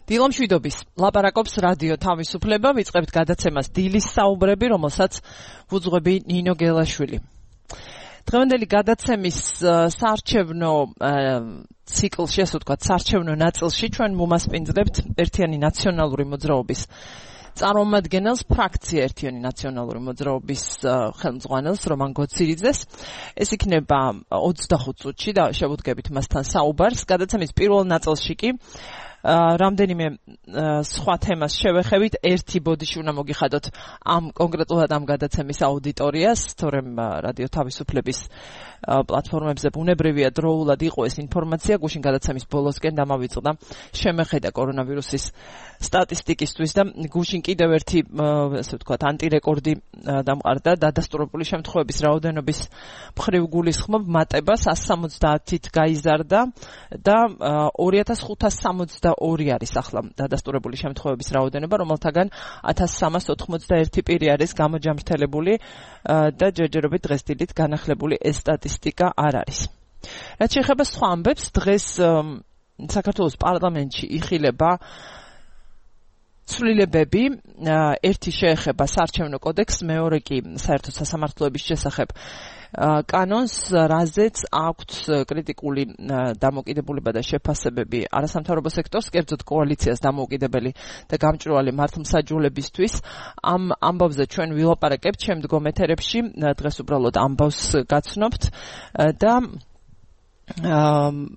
დილამშვიდობის ლაპარაკობს რადიო თავისუფლება, ვიწყებთ გადაცემას დილის საუბრები, რომელსაც ვუძღვები ნინო გელაშვილი. დღევანდელი გადაცემის საარჩევნო ციკლში, ასე ვთქვათ, საარჩევნო ნაწილში ჩვენ მომასპინძლებთ ერთიანი ნაციონალური მოძრაობის წარმომადგენელს, ფრაქცია ერთიანი ნაციონალური მოძრაობის ხელმძღვანელს რომან გოცირიძეს. ეს იქნება 25 წუთში და შევუდგებით მასთან საუბარს. გადაცემის პირველ ნაწილში კი რამდენიმე სხვა თემას შევეხებით. ერთი ბოდიში უნდა მოგიხადოთ კონკრეტულად ამ გადაცემის აუდიტორიას, თორემ რადიო თავისუფლების პლატფორმებზე ბუნებრივია დროულად იყო ეს ინფორმაცია. გუშინ გადაცემის ბოლოსკენ დამავიწყდა შემეხედა კორონავირუსის სტატისტიკისთვის და გუშინ კიდევ ერთი, ასე ვთქვათ, ანტირეკორდი დამყარდა დადასტურებული შემთხვევების რაოდენობის მხრივ გულისხმობ მატება 170-ით გაიზარდა და 2562 არის ახლა დადასტურებული შემთხვევების რაოდენობა, რომელთაგან 1381 პირი არის გამოჯამრთელებული და ჯერჯერობით დღესდილით განახლებული ეს სტატისტიკა არ არის. რაც შეეხება სხვა ამბებს, დღეს საქართველოს პარლამენტში იხილება ცვლილებები, ერთი შეეხება საარჩევნო კოდექსს, მეორე კი საერთო სასამართლოების შესახებ კანონს, რაზეც აქვთ კრიტიკული დამოკიდებულება და შეფასებები არასამთავრობო სექტორს, კერძოდ კოალიციას დამოუკიდებელი და გამჭვირვალე მართლმსაჯულებისთვის. ამ ამბავზე ჩვენ ვილაპარაკებთ შემდგომ ეთერებში, დღეს უბრალოდ ამბავს გაცნობთ და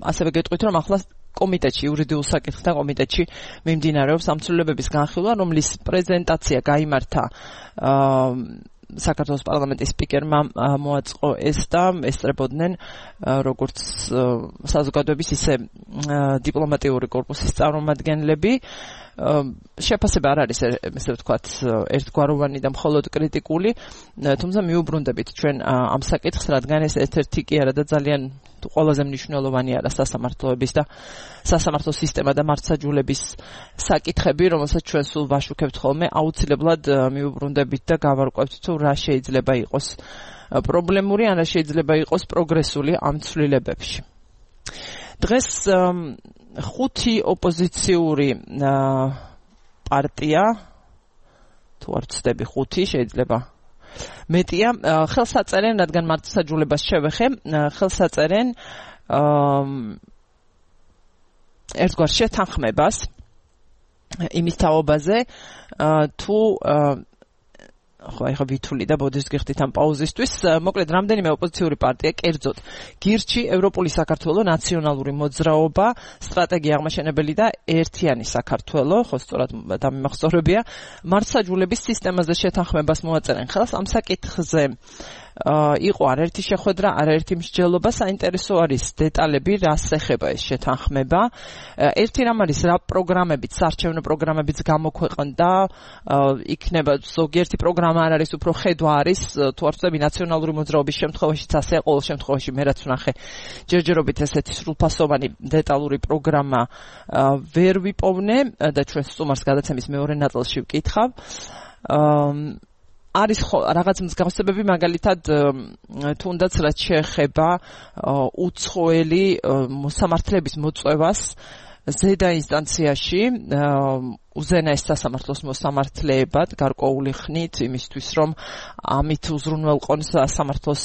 ასევე გეტყვით, რომ ახლა კომიტეტში, იურიდიულ საკითხთა კომიტეტში მიმდინარეობს ამ ცვლილებების განხილვა, რომლის პრეზენტაცია გაიმართა საქართველოს პარლამენტის სპიკერმა მოაწყო ეს და ესწრებოდნენ როგორც საზოგადოების ისე დიპლომატიური კორპუსის წარმომადგენლები. შეფასება არ არის, ესე ვთქვათ, ერთგვაროვანი და მხოლოდ კრიტიკული, თუმცა მიუბრუნდებით ჩვენ ამ საკითხს, რადგან ეს ერთ-ერთი კი არა და ძალიან ყველაზე მნიშვნელოვანი არა სასამართლოების და სასამართლო სისტემა და მართლმსაჯულების საკითხები, რომელსაც ჩვენ სულ ვაშუქებთ ხოლმე, აუცილებლად მიუბრუნდებით და გავარკვევთ თუ რა შეიძლება იყოს პრობლემური, ან რა შეიძლება იყოს პროგრესული ამ ცვლილებებში. დღეს 5 ოპოზიციური პარტია, თუ არ ვცდები 5, შეიძლება მეტია, ხელს აწერენ, რადგან მართლმსაჯულებას შევეხე, ხელს აწერენ ერთგვარ შეთანხმებას იმის თაობაზე, თუ ახლა ვითვლი და ბოდიშს გიხდით ამ პაუზისთვის. მოკლედ, რამდენიმე ოპოზიციური პარტია, კერძოდ გირჩი, ევროპული საქართველო, ნაციონალური მოძრაობა, სტრატეგია აღმაშენებელი და ერთიანი საქართველო, ხო სწორად დამიმახსოვრებია, მართლმსაჯულების სისტემაზე შეთანხმებას მოაწერენ ხელს. ამ საკითხზე იყო არაერთი შეხვედრა, არაერთი მსჯელობა, საინტერესო არის დეტალები, რას ეხება ეს შეთანხმება. ერთი რამ არის, რა პროგრამებით, საარჩევნო პროგრამებიც გამოქვეყნდა, იქნება ზოგიერთი პროგრამა არ არის, უფრო ხედვა არის, თუ არ ვცდები ნაციონალური მოძრაობის შემთხვევაშიც ასე, ყოველ შემთხვევაში მე რაც ვნახე, ჯერჯერობით ესეთი სრულფასოვანი დეტალური პროგრამა ვერ ვიპოვნე და ჩვენ სტუმარს გადაცემის მეორე ნაწილში ვკითხავ. არის რაღაც მსგავსებები, მაგალითად, თუნდაც რაც შეეხება უცხოელი მოსამართლეების მოწვევას ზედა ინსტანციაში, უზენაეს სასამართლოს მოსამართლეებად გარკვეული ხნით, იმისთვის რომ ამით უზრუნველყონ სასამართლოს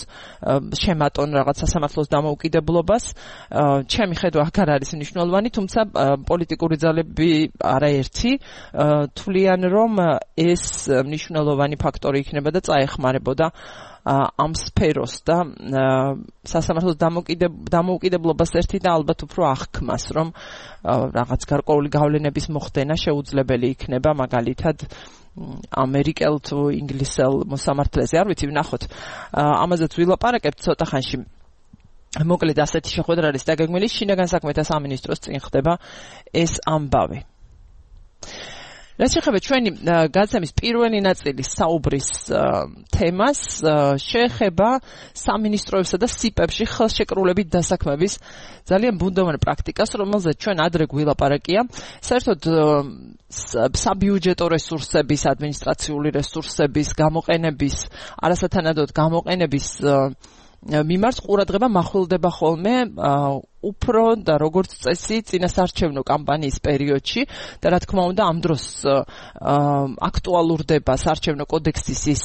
შემატონ რაღაც სასამართლოს დამოუკიდებლობას. ჩემი ხედვა აქ არ არის მნიშვნელოვანი, თუმცა პოლიტიკური ძალები არაერთი თვლიან, რომ ეს მნიშვნელოვანი ფაქტორი იქნება და წაეხმარებოდა ამ სფეროს და სასამართლოს დამოუკიდებლობას ერთი და ალბათ უფრო აღქმას, რომ რაღაც გარკვეული გავლენების მოხდენა შეუძლებელი იქნება, მაგალითად ამერიკელ თუ ინგლისელ მოსამართლეზე. არ ვიცი, ვნახოთ. ამაზეც ვილაპარაკებთ ცოტა ხანში. მოკლედ ასეთი შეხვედრა არის დაგეგმილი, შინაგან საქმეთა სამინისტროს წინ ხდება ეს ამბავი. რაც შეეხება ჩვენი გადაცემის პირველი ნაწილის საუბრის თემას, შეეხება სამინისტროებსა და სიპებში ხელშეკრულებით დასაქმების ძალიან ბუნდოვან პრაქტიკას, რომელზეც ჩვენ ადრე გვილაპარაკია. საერთოდ საბიუჯეტო რესურსების, ადმინისტრაციული რესურსების გამოყენების, არასათანადოდ გამოყენების მიმართ ყურადღება მახვილდება ხოლმე უფრო და როგორც წესი წინასარჩევნო კამპანიის პერიოდში და რა თქმა უნდა ამ დროს აქტუალურდება საარჩევნო კოდექსის ის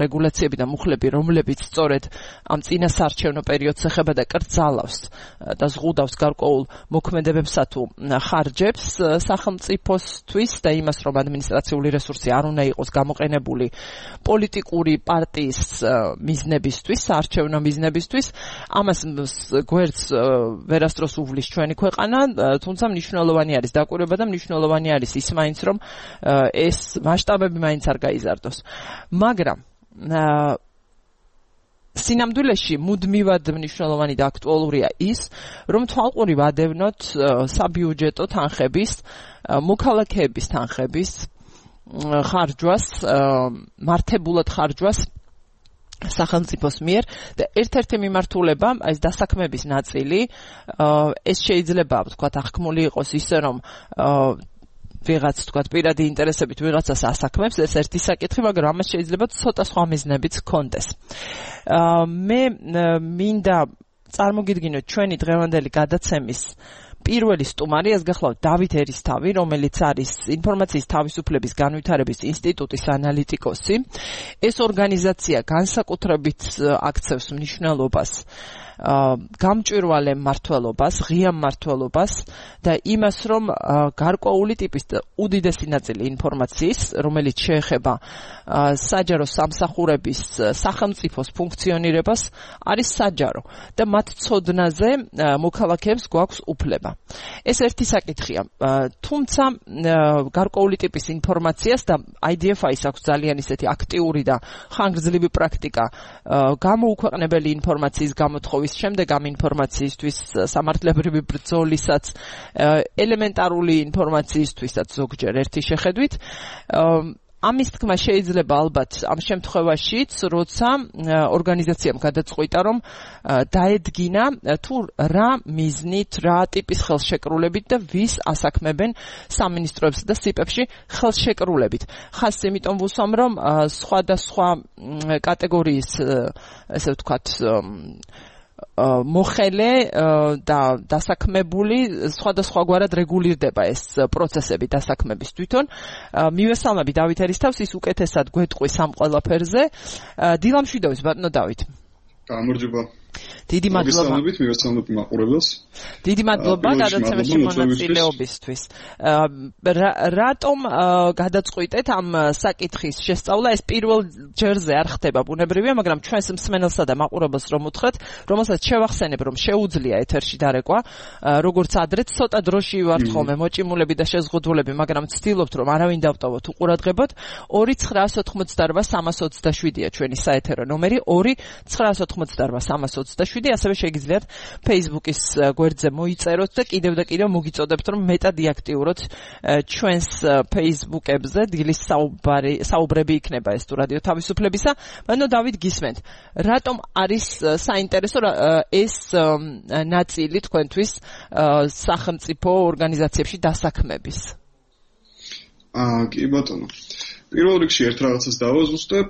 რეგულაციები და მუხლები, რომლებიც სწორედ ამ წინასარჩევნო პერიოდს ეხება და კრძალავს და ზღუდავს გარკვეულ მოქმედებებსა თუ ხარჯებს სახელმწიფოსთვის და იმას, რომ ადმინისტრაციული რესურსი არ უნდა იყოს გამოყენებული პოლიტიკური პარტიის მიზნებისთვის, საარჩევნო მიზნებისთვის. ამას გვერდს ვერასდროს უვლის ჩვენი ქვეყანა, თუმცა მნიშვნელოვანი არის დაკვირვება და მნიშვნელოვანი არის ის მაინც, რომ ეს მასშტაბები მაინც არ გაიზარდოს. მაგრამ სინამდვილეში მუდმივად მნიშვნელოვანი და აქტუალურია ის, რომ თვალყური ვადევნოთ საბიუჯეტო თანხების, მოქალაქეების თანხების ხარჯვას, მართებულად ხარჯვას სახელმწიფოს მიერ და ერთ-ერთი მიმართულება, ეს დასაქმების ნაწილი, ეს შეიძლება ვთქვათ აღქმული იყოს ისე, რომ ვიღაც თქვათ პირადი ინტერესებით ვიღაცას ასაქმებს, ეს ერთი საკითხი, მაგრამ ამას შეიძლება ცოტა სხვა მიზნებიც ჰქონდეს. მე მინდა წარმოგიდგინოთ ჩვენი დღევანდელი გადაცემის პირველი სტუმარი, ეს გახლავთ დავით ერისთავი, რომელიც არის ინფორმაციის თავისუფლების განვითარების ინსტიტუტის ანალიტიკოსი. ეს ორგანიზაცია განსაკუთრებით აქცევს მნიშვნელობას გამჭვირვალე მმართველობას, ღია მმართველობას და იმას, რომ გარკვეული ტიპის უდიდესი ნაწილი ინფორმაციის, რომელიც შეეხება საჯარო სამსახურების სახელმწიფოს ფუნქციონირებას, არის საჯარო და მათ ცოდნაზე მოქალაქეებს გვაქვს უფლება. ეს ერთი საკითხია. თუმცა გარკვეული ტიპის ინფორმაციას და IDFI-ს აქვს ძალიან ისეთი აქტიური და ხანგრძლივი პრაქტიკა გამოუქვეყნებელი ინფორმაციის გამოთხოვის შემდეგ ამ ინფორმაციისთვის სამართლებრივი ბრძოლისაც ელემენტარული ინფორმაციისთვისაც ზოგჯერ ერთი შეხედვით ამის თქმა შეიძლება ალბათ ამ შემთხვევაშიც, როცა ორგანიზაციამ გადაწყვიტა, რომ დაედგინა თუ რა მიზნით, რა ტიპის ხელშეკრულებით და ვის ასაქმებენ სამინისტროებსა და სიპებში ხელშეკრულებით. ხას იმიტომ ვუსვამ, რომ სხვადასხვა კატეგორიის, ესე ვთქვათ, მოხელე და დასაქმებული სხვადასხვაგვარად რეგულირდება ეს პროცესები დასაქმების თვითონ. მივესალმები დავით ერისთავს, ის უკეთესად გვეტყვის ამ ყველაფერზე. დილამშვიდობის ბატონო დავით. გამარჯობა. დიდი მადლობა. მივესალმებით მაყურებელს. დიდი მადლობა გადაცემაში მონაწილეობისთვის. რატომ გადაწყვიტეთ ამ საკითხის შესწავლა? ეს პირველ ჯერზე არ ხდება ბუნებრივია, მაგრამ ჩვენს მსმენელსა და მაყურებელს რომ უთხრეთ, რომელსაც შევახსენებ, რომ შეუძლია ეთერში დარეკვა, როგორც ადრე ცოტა დროში ვართ ხოლმე მოჭიმულები და შეზღუდულები, მაგრამ ვცდილობთ, რომ არავინ დავტოვოთ უყურადღებოდ. 2988327-ია ჩვენი საეთერო ნომერი, 2988327, ასევე შეგიძლიათ Facebook-ის გვერდზე მოიწეროთ და კიდევ და კიდევ მოგიწოდებთ, რომ მეტად იაქტიუროთ ჩვენს Facebook-ებზე, დილის საუბრები იქნება ეს თუ რადიო თავისუფლებისა. ბატონო დავით გისმენთ, რატომ არის საინტერესო ეს ნაწილი თქვენთვის სახელმწიფო ორგანიზაციებში დასაქმების? კი ბატონო. პირველ რიგში ერთ რაღაცას დავაზუსტებ,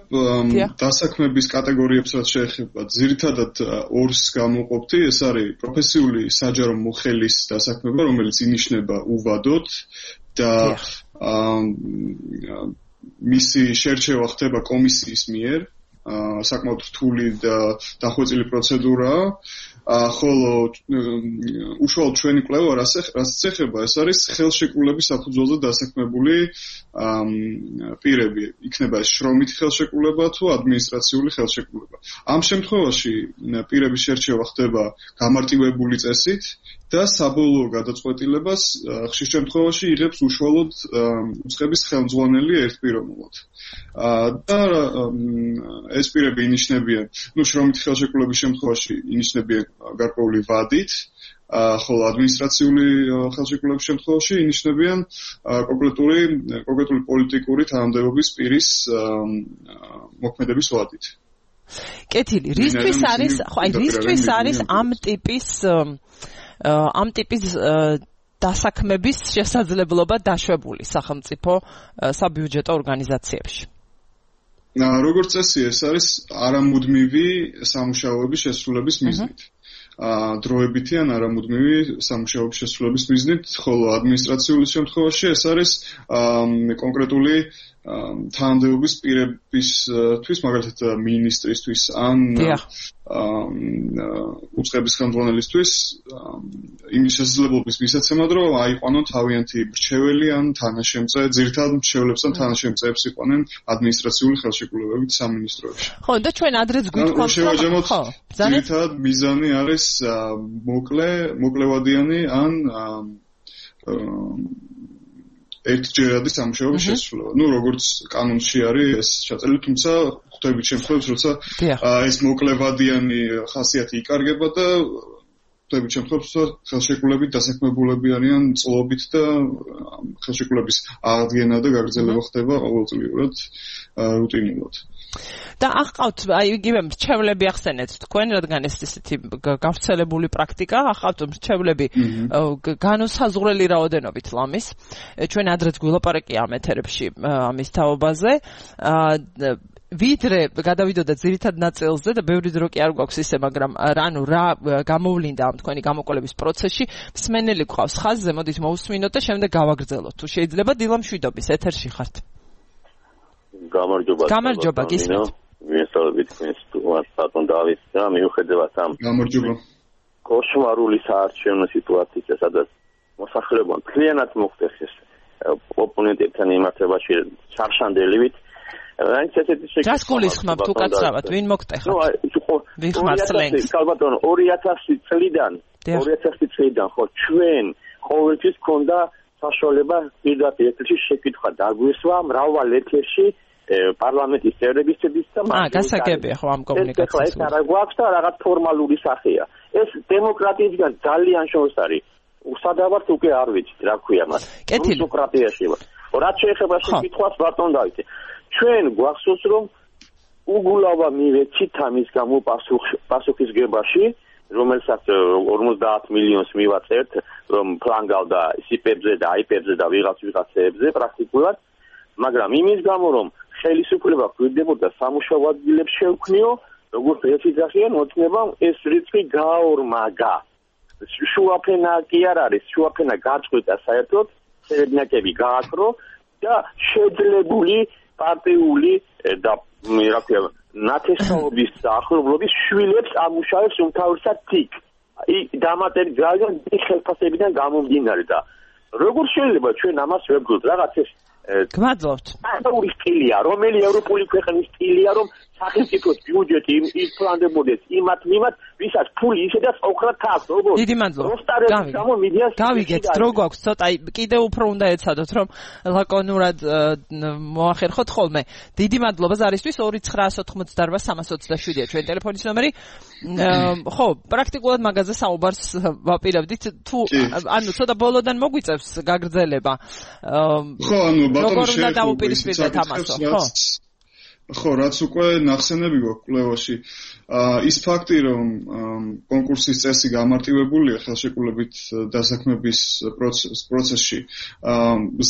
დასაქმების კატეგორიებს რაც შეეხება, ძირითადად ორს გამოვყოფთი, ეს არის პროფესიული საჯარო მოხელის დასაქმება, რომელიც ინიშნება უვადოდ და მისი შერჩევა ხდება კომისიის მიერ, საკმაოდ რთული და დახვეწილი პროცედურაა. ხოლო უშუალოდ ჩვენი კვლევა რაც ეხება, ეს არის ხელშეკრულების საფუძველზე დასაქმებული პირები. იქნება ეს შრომითი ხელშეკრულება თუ ადმინისტრაციული ხელშეკრულება. ამ შემთხვევაში პირების შერჩევა ხდება გამარტივებული წესით და საბოლოო გადაწყვეტილებას ხშირ შემთხვევაში იღებს უშუალოდ უწყების ხელმძღვანელი ერთპიროვნულად. და ეს პირები ინიშნებიან, შრომითი ხელშეკრულების შემთხვევაში ინიშნებიან გარკვეული ვადით, ხოლო ადმინისტრაციული ხელშეკრულების შემთხვევაში ინიშნებიან კონკრეტული პოლიტიკური თანამდებობის პირის მოქმედების ვადით. კეთილი, რისთვის არის ამ ტიპის დასაქმების შესაძლებლობა დაშვებული სახელმწიფო საბიუჯეტო ორგანიზაციებში? როგორც წესი, ეს არის არამუდმივი სამუშაოების შესრულების მიზნით. დროებითი ან არამუდმივი სამუშაოების შესრულების მიზნით, ხოლო ადმინისტრაციული შემთხვევაში ეს არის კონკრეტული თანამდებობის პირებისთვის, მაგალითად მინისტრისთვის ან უწყების ხელმძღვანელისთვის იმის შესაძლებლობის მისაცემად, რომ აიყვანონ თავიანთი მრჩეველი ან თანაშემწე, ძირითადად მრჩეველებს ან თანაშემწეებს იყვანენ ადმინისტრაციული ხელშეკრულებებით სამინისტროებში. ხო, და ჩვენ ადრეც გვითხოვთ, რომ ძირითადად მიზანი არის მოკლევადიანი ან ერთჯერადი სამუშაოების შესრულება. როგორც კანონში არის ეს ჩაწერილი, თუმცა ხვდებით შემთხვევებს, როცა ეს მოკლევადიანი ხასიათი იკარგება და ხვდებით შემთხვევებს, როცა ხელშეკრულებით დასაქმებულები არიან წლობით და ხელშეკრულების აღდგენა და გაგრძელება ხდება ყოველწლიურად რუტინულად. და ახყავთ იგივე მრჩევლები ახსენეთ თქვენ, რადგან ეს ისეთი გავრცელებული პრაქტიკა, ახყავთ მრჩევლები განუსაზღვრელი რაოდენობით ლამის. ჩვენ ადრეც გვილაპარაკია ამ ეთერებში ამის თაობაზე. ვიდრე გადავიდოდა ძირითად ნაწილზე და ბევრი დრო კი არ გვაქვს ისე, მაგრამ რა გამოვლინდა ამ თქვენი გამოკვლევის პროცესში, მსმენელი გვყავს ხაზზე, მოდით მოусმინოთ და შემდეგ გავაგრძელოთ. თუ შეიძლება დილა მშვიდობის ეთერში ხართ. გამარჯობა, გისმენთ. ვესწავლებით თქვენს ბატონ დავითს და მიუხედავად ამ კოშმარული საარჩევნო სიტუაციისა, სადაც მოსახლეობამ მთლიანად მოხდეს ეს ოპონენტებთან იმართებაში ჩარშანდელივით, რაიც ესეთი რას გულისხმობთ თუ კაცრავად, ვინ მოგტეხა? ვიხმარ სლენგს. ბატონო, 2000 წლიდან ხო ჩვენ ყოველთვის გქონდა საშუალება პირდაპირ ეთერში შეკითხვა დაგვესვა მრავალ ეთერში პარლამენტის წევრებისთვის და გასაგებია ხო ამ კომუნიკაციას. ეს არა გვაქვს და რაღაც ფორმალური სახეა. ეს დემოკრატიისგან ძალიან შორს არის. უსადავართ უკვე არ ვიცით რა ქვია მას. დემოკრატიაში. რაც შეეხება შეკითხვას ბატონ დავითე. ჩვენ გვახსოვს რომ უგულავა მივეცით ამის გამო პასუხისგებაში, რომელსაც 50 მილიონს მივაწერთ, რომ ფლანგავდა სიპებზე და აიპებზე და ვიღაცებზე პრაქტიკულად, მაგრამ იმის გამო რომ ხელისუფლება გვიდებოდა სამუშაო ადგილებს შევქმნიო, როგორც ერთი ძახიან ოცნებამ ეს რიცხვი გაორმაგა. შუაფენა კი არ არის, შუაფენა გაწყვეტა საერთოდ, სერედნაკები გააკრო და შეძლებული პარტიული და რა ქვია ნათესაობის ახლობლობის შვილებს ამუშავებს უმთავრესად თიკ. დამატებით ძალიან ხელფასებიდან გამომდინარე და როგორ შეიძლება ჩვენ ამას ვებრძოლოთ? რაღაც ეს გმადლობთ. ევროპული სტილია, რომელი ევროპული ქვეყნის სტილია, რომ სახელმწიფოს ბიუჯეტი იფლანდებოდეს იმათ, ვისაც ფული ისედაც ოქრად თავს, როგორც დიდი მადლობა. გავიგეთ, დრო გვაქვს ცოტა, კიდევ უფრო უნდა ეცადოთ, რომ ლაკონურად მოახერხოთ ხოლმე. დიდი მადლობა ზარისთვის 2988327-ია ჩვენ ტელეფონის ნომერი. ხო, პრაქტიკულად მაგაზე საუბარს ვაპირებდით, თუ ანუ ცოტა ბოლოდან მოგვიწევს გაგრძელება. ხო, ანუ ბატონო როგორ უნდა დაუპირისპირდეთ ამასო, ხო? ხო, რაც უკვე ნახსენები გვაქვს კვლევაში, ის ფაქტი, რომ კონკურსის წესი გამარტივებულია ხელშეკრულებით დასაქმების პროცესში,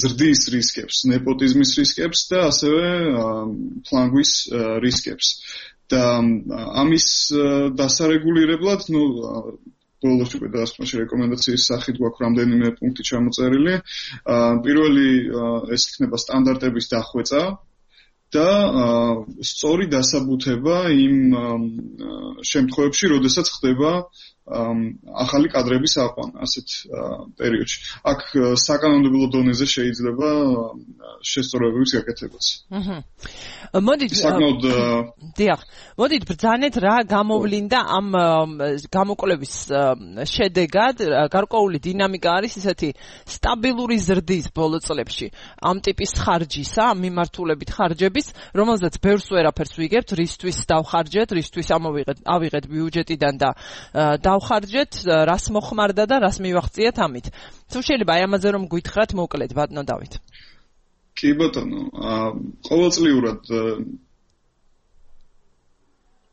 ზრდის რისკებს, ნეპოტიზმის რისკებს და ასევე ფლანგვის რისკებს. და ამის დასარეგულირებლად, ბოლოს უკვე დასკვნაში რეკომენდაციის სახით გვაქვს რამდენიმე პუნქტი ჩამოწერილი. პირველი ეს იქნება სტანდარტების დახვეწა და სწორი დასაბუთება იმ შემთხვევებში, როდესაც ხდება ახალი კადრების აყვანა ასეთ პერიოდში. აქ საკანონმდებლო დონეზე შეიძლება შესწორებების გაკეთებაც. მოდით ბრძანეთ რა გამოვლინდა ამ გამოკვლევის შედეგად. გარკვეული დინამიკა არის ისეთი სტაბილური ზრდის ბოლო წლებში ამ ტიპის ხარჯისა, ამ მიმართულებით ხარჯების, რომელზეც ბევრს ვერაფერს ვიგებთ, რისთვის დავხარჯეთ, რისთვის ავიღეთ ბიუჯეტიდან და დავხარჯეთ, რას მოხმარდა და რას მივაღწიეთ ამით. თუ შეიძლება აი ამაზე რომ გითხრათ მოკლედ ბატონო დავით. კი ბატონო, ყოველწლიურად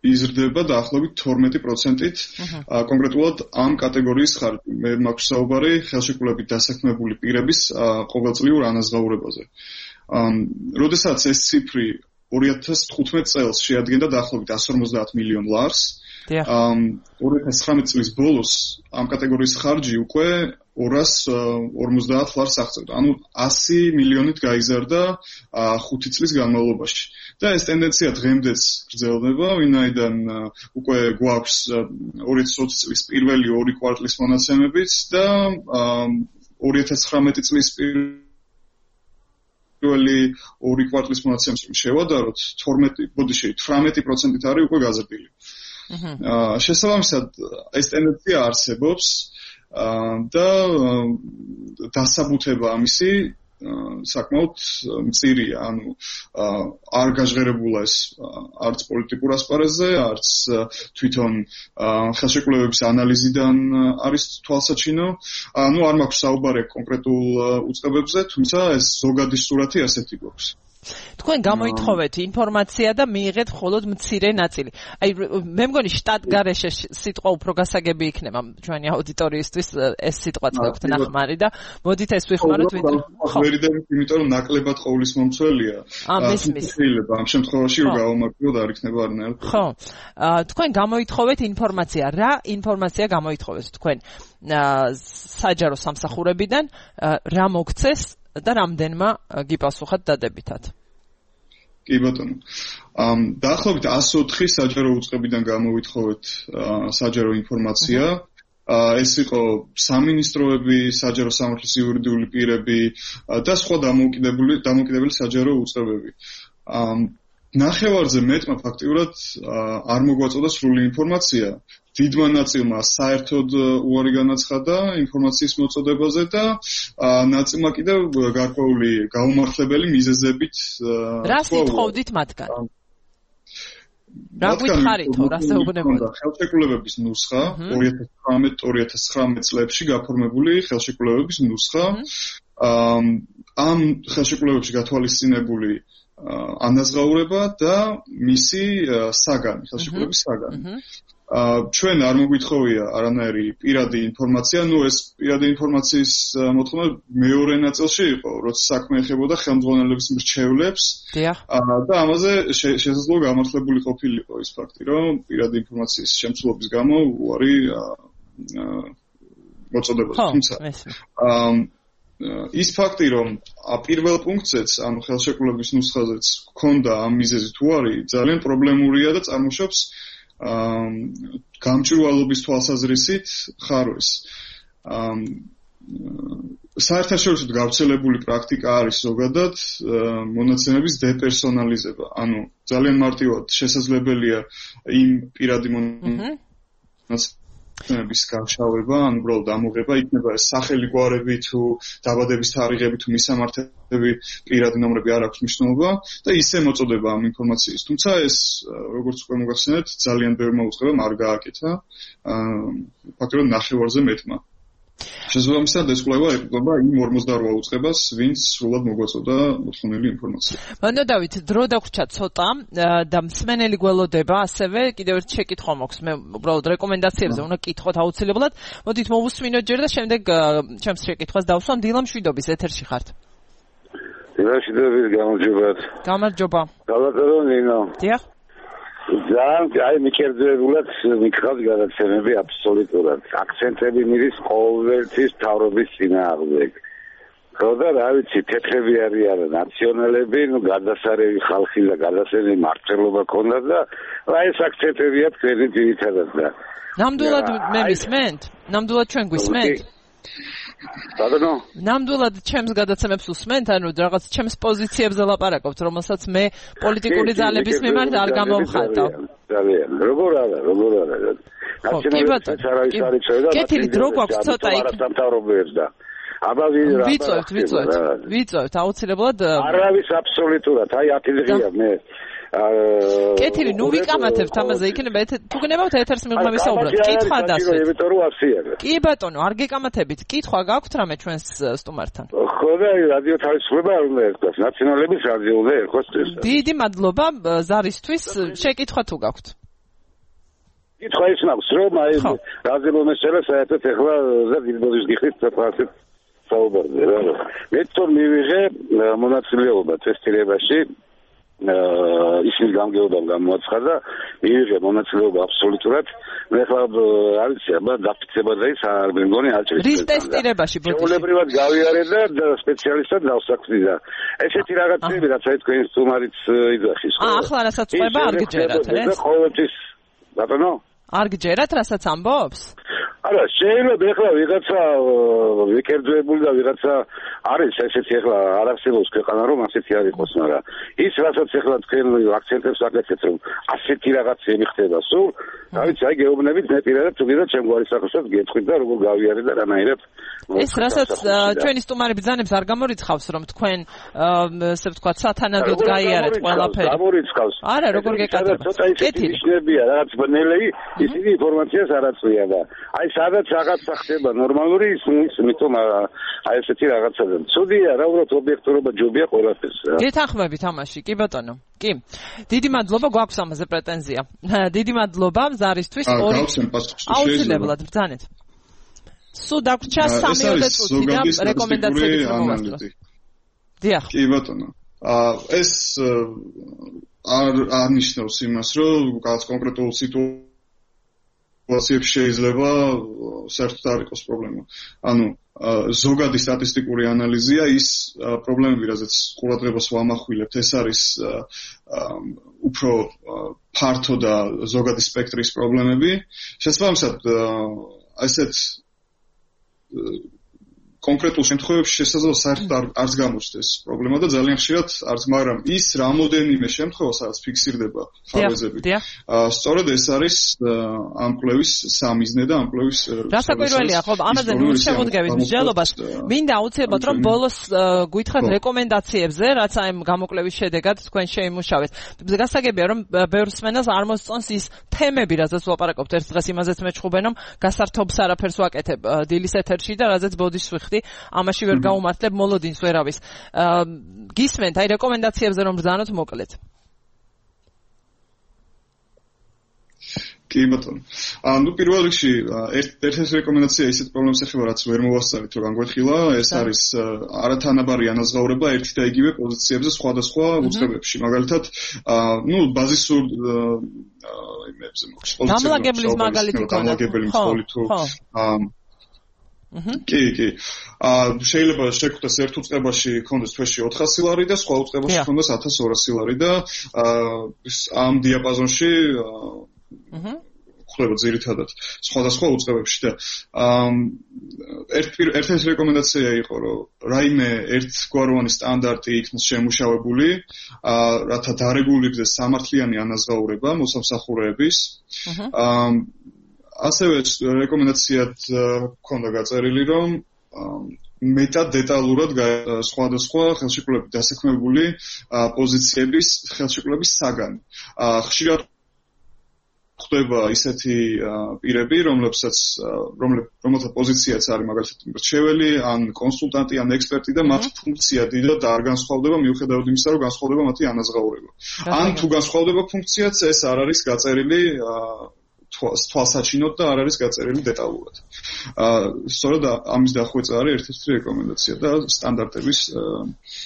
იზრდება დაახლოებით 12%-ით კონკრეტულად ამ კატეგორიის ხარჯი. მე მაქვს საუბარი ხელშეკრულებით დასაქმებული პირების ყოველწლიურ ანაზღაურებაზე. როდესაც ეს ციფრი 2015 წელს შეადგენდა დაახლოებით 150 მილიონ ლარს, 2019 წლის ბოლოს ამ კატეგორიის ხარჯი უკვე 250 ლარს აღწევდა. ანუ 100 მილიონით გაიზარდა 5 წლის განმავლობაში. და ეს ტენდენცია დღემდეც გრძელდება, ვინაიდან უკვე გვაქვს 2020 წლის პირველი 2 კვარტლის მონაცემებიც და 2019 წლის პირველი 2 კვარტლის მონაცემებს შევადაროთ 18% არის უკვე გაზრდილი. შესაბამისად ეს ტენდენცია არსებობს და დასაბუთება ამისი საკმაოდ მწირია, ანუ არ გაჟღერებულა ეს არც პოლიტიკურ ასპარეზზე, არც თვითონ ხელშეკრულებების ანალიზიდან არის თვალსაჩინო. ანუ არ მაქვს საუბარი კონკრეტულ უწყებებზე, თუმცა ეს ზოგადი სურათი ასეთი გვაქვს. თქვენ გამოითხოვეთ ინფორმაცია და მიიღეთ მხოლოდ მცირე ნაწილი. აი მე მგონი შტატგარეშე სიტყვა უფრო გასაგები იქნება ჩვენი აუდიტორიისთვის ეს სიტყვაც გაქვთ ნახმარი და მოდით ეს ვიხმაროთ ვიდრე ვერიდებით, იმიტომ რომ ნაკლებად ყოვლის მომცველია. შეიძლება ამ შემთხვევაში რომ გავამართლოთ არ იქნება არნაირ. ხო. თქვენ გამოითხოვეთ ინფორმაცია. რა ინფორმაცია გამოითხოვეთ თქვენ საჯარო სამსახურებიდან, რა მოგცეს და რამდენმა გიპასუხათ დადებითად? კი ბატონო. დაახლოებით 104 საჯარო უწყებიდან გამოვითხოვეთ საჯარო ინფორმაცია. ეს იყო სამინისტროები, საჯარო სამართლის იურიდიული პირები და სხვა დამოუკიდებელი საჯარო უწყებები. ნახევარზე მეტმა ფაქტიურად არ მოგვაწოდა სრული ინფორმაცია. დიდმა ნაწილმა საერთოდ უარი განაცხადა ინფორმაციის მოწოდებაზე და ნაწილმა კიდევ გარკვეული გაუმართლებელი მიზეზებით რას ითხოვდით მათგან? რა გითხარითო, რას ეუბნებოდა? ხელშეკრულებების ნუსხა 2018-2019 წლებში გაფორმებული ხელშეკრულებების ნუსხა ამ ხელშეკრულებებში გათვალისწინებული ანაზღაურება და მისი საგანი, ხელშეკრულების საგანი. ჩვენ არ მოგვითხოვია არანაირი პირადი ინფორმაცია, ნუ ეს პირადი ინფორმაციის მოთხოვნა მეორე ნაწილში იყო, როცა საქმე ეხებოდა ხელმძღვანელების მრჩევლებს და ამაზე შესაძლოა გამართლებული ყოფილიყო ის ფაქტი, რომ პირადი ინფორმაციის შემცვლობის გამო უარი მოწოდებოდა. თუმცა ის ფაქტი, რომ პირველ პუნქტზეც, ანუ ხელშეკრულების ნუსხაზეც ჰქონდა ამ მიზეზით უარი, ძალიან პრობლემურია და წარმოშობს გამჭვირვალობის თვალსაზრისით ხარვეს. საერთაშორისოდ გავრცელებული პრაქტიკა არის ზოგადად მონაცემების დეპერსონალიზება. ანუ ძალიან მარტივად შესაძლებელია იმ პირადი მონაცემების გამშავება, ან უბრალოდ ამოღება, იქნება ეს სახელი, გვარები თუ დაბადების თარიღები თუ მისამართები, პირადი ნომრები არ აქვს მნიშვნელობა და ისე მოწოდება ამ ინფორმაციის. თუმცა ეს, როგორც უკვე მოგახსენეთ, ძალიან ბევრმა უწყებამ არ გააკეთა, ფაქტობრივად ნახევარზე მეტმა. შესაბამისად ეს კვლევა ეკუთვნება იმ 48 უწყებას, ვინც სრულად მოგვაწოდა მოთხოვნილი ინფორმაცია. მანდ დავით, დრო დაგვრჩა ცოტა და მსმენელი გველოდება, ასევე კიდევ ერთ შეკითხვა მაქვს. მე უბრალოდ რეკომენდაციებზე უნდა კითხოთ აუცილებლად. მოდით მოვუსმინოთ ჯერ და შემდეგ ჩემს შეკითხვას დავსვამ. დილა მშვიდობის ეთერში ხართ. დილა მშვიდობის, გამარჯობათ. გამარჯობა. გალატარონ ნინო. დიახ. ძალიან მიკერძებულად მიქხავს გადაცემები აბსოლუტურად. აქცენტები მიდის ყოველთვის თავრობის წინააღმდეგ. ხო და რა ვიცი, თეთრები არიან ნაციონალები, ნუ გადასარევი ხალხი და გადასარევი მართლობა ქონდა და რა ეს აქცენტებია თქვენი ძირითადად და ნამდვილად მე მისმენთ? ნამდვილად ჩვენ გვისმენთ? ბატონო, ნამდვილად ჩემს გადაცემებს უსმენთ, ანუ რაღაც ჩემს პოზიციებზე ლაპარაკობთ, რომელსაც მე პოლიტიკური ძალების მიმართ არ გამოვხატავ. ძალიან. როგორ არა. ნაციონალისტებს არის წევდა. კეთილი დრო გვაქვს ცოტა იქ. სამთავრობოებს და აბა ვიწევთ აუცილებლად. არავის აბსოლუტურად, აი 10 დღეა მე კეთილი, ნუ ვიკამათებთ ამაზე, იქნება თუ გნებავთ ეთერს მიღმა ვისაუბროთ. კითხვა დასვით. კი ბატონო, არ გეკამათებით. კითხვა გაქვთ რამე ჩვენს სტუმართან? ხო და რადიო თავისუფლება არ უნდა ერქოს, ნაციონალების რადიო უნდა ერქოს ეს. დიდი მადლობა ზარისთვის, შეკითხვა თუ გაქვთ. კითხვა ის მაქვს, რომ აი რაზე მომესწრება საერთოდ ეხლა და დილბოძის გიხდით საფასეთ საუბარზე რა. მე თვითონ მივიღე მონაწილეობა ტესტირებაში ისმის გამგეობამ გამოაცხადა, მიიღე მონაწილეობა აბსოლუტურად. მე ხლა არ ვიცი, აბა დაფიცება და ის არ მეგონი აჭრის. რის ტესტირებაში ბოდიში? შეულებრივად გავიარე და სპეციალისტად დავსაქმდი და ესეთი რაღაცები, რაც აი თქვენ სტუმარიც იძახის. ახლა რასაც ყვება არ გჯერათ, ეს? ყოველთვის ბატონო? არ გჯერათ, რასაც ამბობს? არა, შეიძლება ეხლა ვიღაცა ვიკერდვებული და ვიღაცა არის ესეთი ეხლა არ არსებობს ქვეყანა რომ ასეთი არ იყოს, მაგრამ ის რასაც ეხლა თქვენ აქცენტებს აკეთებთ რომ ასეთი რაღაცები ხდება სულ, რა ვიცი, აი გეუბნებით მე პირადად თუ გინდა ჩემ გვარის სახელსაც გეტყვით და როგორ გავიარე და რანაირად ეს რასაც ჩვენი სტუმარი ბრძანებს არ გამორიცხავს რომ თქვენ ესე ვთქვათ სათანადოდ გაიარეთ ყველაფერი. გამორიცხავს. არა, როგორ გეკადრებთ? ცოტა ისეთი ნიშნებია, რაღაც ბნელეი, ისინი ინფორმაციას არ აწვია და აი სადაც რაღაცა ხდება ნორმალური ის მითომ აი ესეთი რაღაცა და ცუდია რა უბრალოდ ობიექტურობა ჯობია ყველაფერს. გეთანხმებით ამაში, კი ბატონო. კი. დიდი მადლობა, გვაქვს ამაზე პრეტენზია. დიდი მადლობა ზარისთვის. აუცილებლად ბრძანეთ. სულ დაგვრჩა 3 წუთი და რეკომენდაციები მოვასწროთ. დიახ. კი ბატონო. ეს არ ნიშნავს იმას, რომ რაღაც კონკრეტულ სიტუაციებში შეიძლება საერთოდ არ იყოს პრობლემა. ანუ ზოგადი სტატისტიკური ანალიზია ის პრობლემები, რაზეც ყურადღებას ვამახვილებთ, ეს არის უფრო ფართო და ზოგადი სპექტრის პრობლემები. შესაბამისად, ასეთ კონკრეტულ შემთხვევებში შესაძლოა საერთოდ არც გამოჩნდეს პრობლემა და ძალიან ხშირად არც, მაგრამ ის რამოდენიმე შემთხვევა, სადაც ფიქსირდება ხარვეზები. სწორედ ეს არის ამ კვლევის სამიზნე და ამ კვლევის რასაკვირველია, ხო, ამაზე შემოდგების მსჯელობას მინდა აუცილებლად რომ ბოლოს გითხრათ რეკომენდაციებზე, რაც აი გამოკვლევის შედეგად თქვენ შეიმუშავეთ. გასაგებია რომ ბევრ მსმენელს არ მოსწონს ის თემები, რაზეც ვლაპარაკობთ. ერთ დღეს იმაზეც მეჩხუბენ რომ გასართობს არაფერს ვაკეთებ დილის ეთერში და რაზეც ბოდიშს ამაში ვერ გაუმართლებ მოლოდინს ვერავის. გისმენთ აი რეკომენდაციებზე რომ ბრძანოთ მოკლედ. კი ბატონო. ანუ პირველ რიგში ერთ-ერთი რეკომენდაცია ისეთ პრობლემას ეხება, რაც ვერ მოვასწრებით, რომ განგვეთქილა, ეს არის არათანაბარი ანაზღაურება ერთი და იგივე პოზიციებზე სხვადასხვა უწყებებში. მაგალითად, ბაზისურ იმებზე მოხდეს. დამლაგებლის მაგალითი ქონდა. დამლაგებელი მსხვილი თუ კი. შეიძლება შეგვხვდეს ერთ უწყებაში ქონდეს თვეში 400 ლარი და სხვა უწყებაში ქონდეს 1200 ლარი და ამ დიაპაზონში ხდება ძირითადად სხვადასხვა უწყებებში და ერთ-ერთი რეკომენდაცია იყო, რომ რაიმე ერთგვაროვანი სტანდარტი იქნას შემუშავებული, რათა დარეგულირდეს სამართლიანი ანაზღაურება მოსამსახურეების. ასევე რეკომენდაციად ქონდა გაწერილი, რომ მეტად დეტალურად სხვადასხვა ხელშეკრულებით დასაქმებული პოზიციების ხელშეკრულების საგანი. ხშირად ხდება ისეთი პირები, რომელთა პოზიციაც არის მაგალითად მრჩეველი, ან კონსულტანტი, ან ექსპერტი და მათ ფუნქცია დიდად არ განსხვავდება მიუხედავად იმისა, რომ განსხვავდება მათი ანაზღაურება. ან თუ განსხვავდება ფუნქციაც, ეს არ არის გაწერილი თვალსაჩინოდ და არ არის გაწერილი დეტალურად. სწორედ ამის დახვეწა არის ერთ-ერთი რეკომენდაცია და სტანდარტების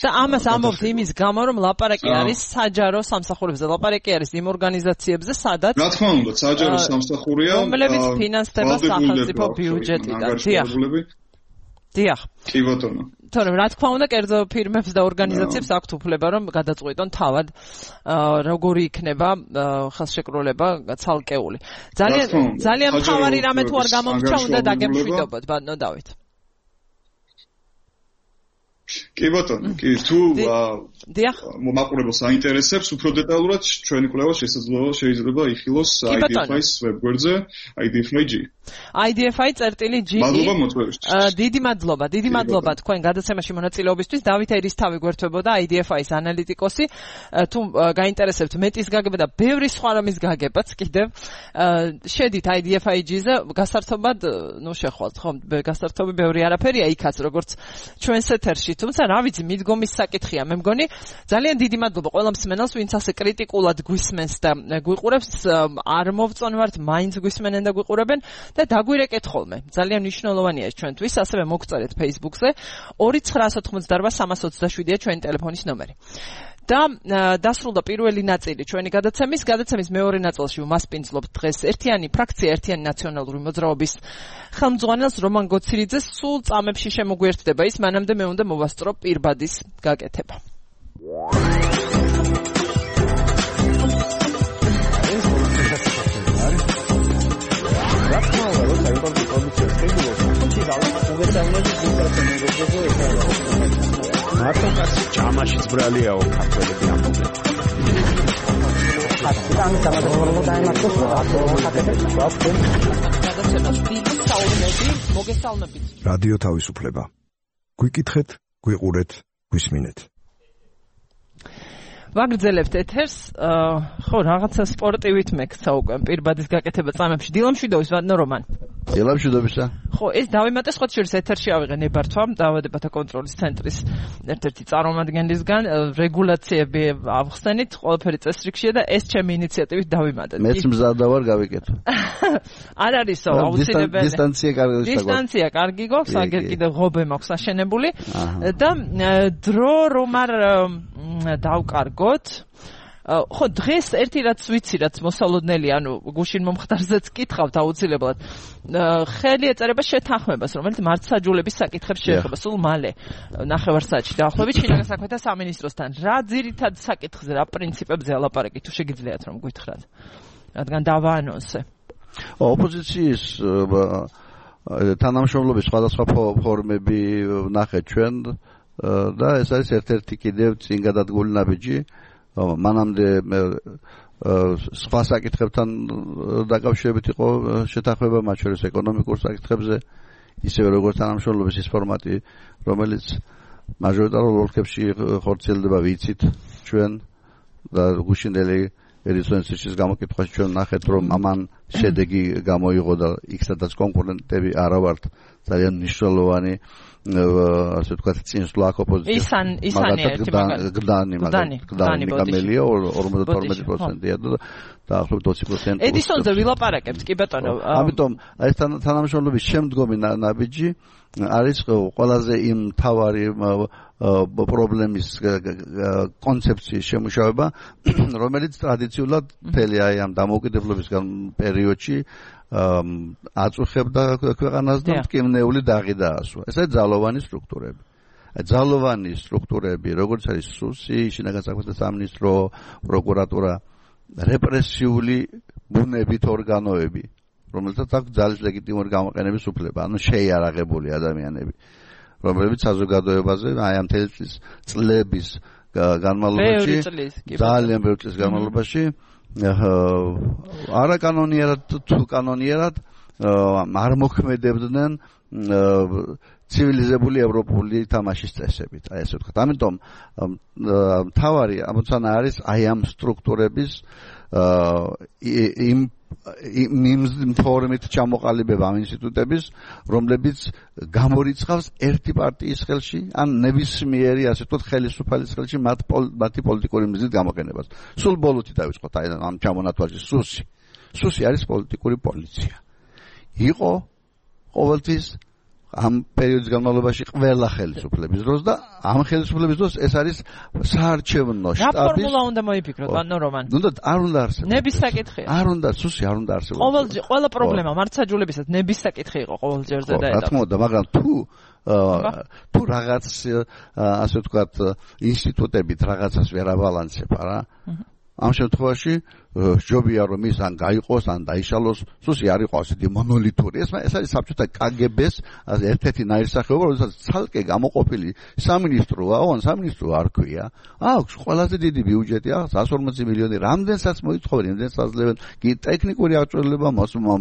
და ამას ამბობთ იმის გამო, რომ ლაპარაკი არის საჯარო სამსახურებზე, ლაპარაკი არის იმ ორგანიზაციებზე, სადაც რა თქმა უნდა, საჯარო სამსახურია, რომლებიც ფინანსდება სახელმწიფო ბიუჯეტიდან. დიახ. კი ბატონო. თორემ რა თქმა უნდა, კერძო ფირმებს და ორგანიზაციებს აქვთ უფლება, რომ გადაწყვიტონ თავად როგორი იქნება ხელშეკრულება ცალკეული. ძალიან მთავარი რამე თუ არ გამომრჩა, უნდა დაგემშვიდობოთ, ბატონო დავით. კი ბატონო, კი თუ მაყურებელს აინტერესებს უფრო დეტალურად ჩვენი კვლევა შეიძლება იხილოს IDFI-ის ვებგვერდზე IDFI-G. IDFI.G. მადლობა მოწვევისთვის. დიდი მადლობა თქვენ გადაცემაში მონაწილეობისთვის. დავით ერისთავი გვერდთვებოდა IDFI-ის ანალიტიკოსი. თუ გაინტერესებთ მეტის გაგება და ბევრი სხვა რამის გაგებაც კიდევ შედით IDFI-G-ზე გასართობად შეხვალთ, ხო? გასართობი ბევრი არაფერია იქაც, როგორც ჩვენს ეთერში. თუმცა რა ვიცი, მიდგომის საკითხია. მე მგონი ძალიან დიდი მადლობა ყველა მსმენელს, ვინც ასე კრიტიკულად გვისმენს და გვიყურებს. არ მოვწონვართ, მაინც გვისმენენ და გვიყურებენ და დაგვირეკეთ ხოლმე. ძალიან მნიშვნელოვანია ეს ჩვენთვის. ასევე მოგწერეთ Facebook-ზე 2988327-ია ჩვენი ტელეფონის ნომერი. და დასრულდა პირველი ნაწილი ჩვენი გადაცემის მეორე ნაწილში ვმასპინძლობთ დღეს ერთიანი ფრაქცია ერთიანი ნაციონალური მოძრაობის ხელმძღვანელს რომან გოცირიძეს სულ წამებში შემოგვიერთდება ის მანამდე მე უნდა მოვასწრო პირბადის გაკეთება. მარტო კაცი ჭამაშიც ბრალიაო ქართველები ამბობენ. რადიო თავისუფლება. გვიკითხეთ, გვიყურეთ, გვისმინეთ. ვაგრძელებთ ეთერს, ხო, რაღაცა სპორტივით მექცა უკვე პირბადის გაკეთება წამებში. დილამშვიდობის ვადნო რომან. დილამშვიდობისა. ხო, ეს დავიმატე სხვა შორის ეთერში ავიღე ნებართვა დაავადებათა კონტროლის ცენტრის ერთ-ერთი წარმომადგენლისგან რეგულაციები ავხსენით, ყველაფერი წესრიგშია და ეს ჩემი ინიციატივით დავიმატე. მეც მზადა ვარ გავიკეთო. არ არისო, აუცილებელი. დისტანცია კარგი გვაქვს, აგერ კიდევ ღობე მაქვს აშენებული და დრო რომ არ დავკარგოთ. ხო, დღეს ერთი რაც ვიცი, რაც მოსალოდნელი, ანუ გუშინ მომხდარზეც კითხავთ აუცილებლად. ხელი ეწერება შეთანხმებას, რომელიც მართლმსაჯულების საკითხებს შეეხება სულ მალე ნახევარსაათში დაახლოებით შინაგან საქმეთა სამინისტროსთან. რა ძირითად საკითხზე, რა პრინციპებზე ალაპარაკი თუ შეგიძლიათ რომ გითხრათ? რადგან დავაანონსე. ოპოზიციის თანამშრომლობის სხვადასხვა ფორმები ვნახეთ ჩვენ და ეს არის ერთ-ერთი კიდევ წინ გადადგმული ნაბიჯი. მანამდე სხვა საკითხებთან დაკავშირებით იყო შეთანხმება, მათ შორის ეკონომიკურ საკითხებზე, ისევე როგორც თანამშრომლობის ის ფორმატი, რომელიც მაჟორიტარულ ოლქებში ხორციელდება, ვიცით ჩვენ და გუშინდელი ერისონსის გამოკითხვაში ჩვენ ნახეთ, რომ ამან შედეგი გამოიღო და იქ-სადაც კონკურენტები არა ვართ ძალიან მნიშვნელოვანი ასე ვთქვათ წინსვლა ოპოზიციის გდანი გამელია 52%-ია და დაახლოებით 20%. ედისონზე ვილაპარაკებთ კი ბატონო. ამიტომ ეს თანამშრომლობის შემდგომი ნაბიჯი არის ყველაზე იმ თავარი პრობლემის კონცეფციის შემუშავება, რომელიც ტრადიციულად მთელი აი ამ დამოუკიდებლობის პერიოდში აწუხებდა ქვეყანას და მტკივნეული დაღი დაასვა. ეს არის ძალოვანი სტრუქტურები. ძალოვანი სტრუქტურები, როგორც არის სუსი, შინაგან საქმეთა სამინისტრო, პროკურატურა, რეპრესიული ბუნებით ორგანოები, რომელთაც აქვს ძალის ლეგიტიმური გამოყენების უფლება, ანუ შეიარაღებული ადამიანები, რომლებიც საზოგადოებაზე აი ამ წლების განმავლობაში ძალიან ბევრი წლის განმავლობაში არაკანონიერად თუ კანონიერად არ მოქმედებდნენ ცივილიზებული ევროპული თამაშის წესებით, აი ესე ვთქვათ. ამიტომ მთავარი ამოცანა არის აი ამ სტრუქტურების იმ ფორმით ჩამოყალიბება ამ ინსტიტუტების, რომლებიც გამორიცხავს ერთი პარტიის ხელში, ან ნებისმიერი ასე ვთქვათ ხელისუფალის ხელში მათი პოლიტიკური მიზნით გამოყენებას. სულ ბოლოთი დავიწყოთ აი ამ ჩამონათვალში სუსი. სუსი არის პოლიტიკური პოლიცია. იყო ყოველთვის ამ პერიოდის განმავლობაში ყველა ხელისუფლების დროს და ამ ხელისუფლების დროს ეს არის საარჩევნო შტაბის. რა ფორმულა უნდა მოიფიქროთ, ბატონო რომან? არ უნდა არსებობს. ნების საკითხია. არ უნდა, სუსი არ უნდა არსებობს. ყველა პრობლემა მართლმსაჯულებისაც ნების საკითხი იყო ყოველ ჯერზე და რა თქმა უნდა, მაგრამ თუ რაღაც ასე ვთქვათ ინსტიტუტებით რაღაცას ვერ აბალანსება რა. ამ შემთხვევაში ჯობია რომ ის ან გაიყოს ან დაიშალოს, სუსი არ იყო ასეთი მონოლითური. ეს არის საბჭოთა კგბ-ს ერთ-ერთი ნაირსახეობა, რომელსაც ცალკე გამოყოფილი სამინისტროა, ან სამინისტრო არ ქვია. აქვს ყველაზე დიდი ბიუჯეტი, 140 მილიონი, რამდენსაც მოითხოვენ, რამდენსაც აძლევენ, კი ტექნიკური აღჭურვილება,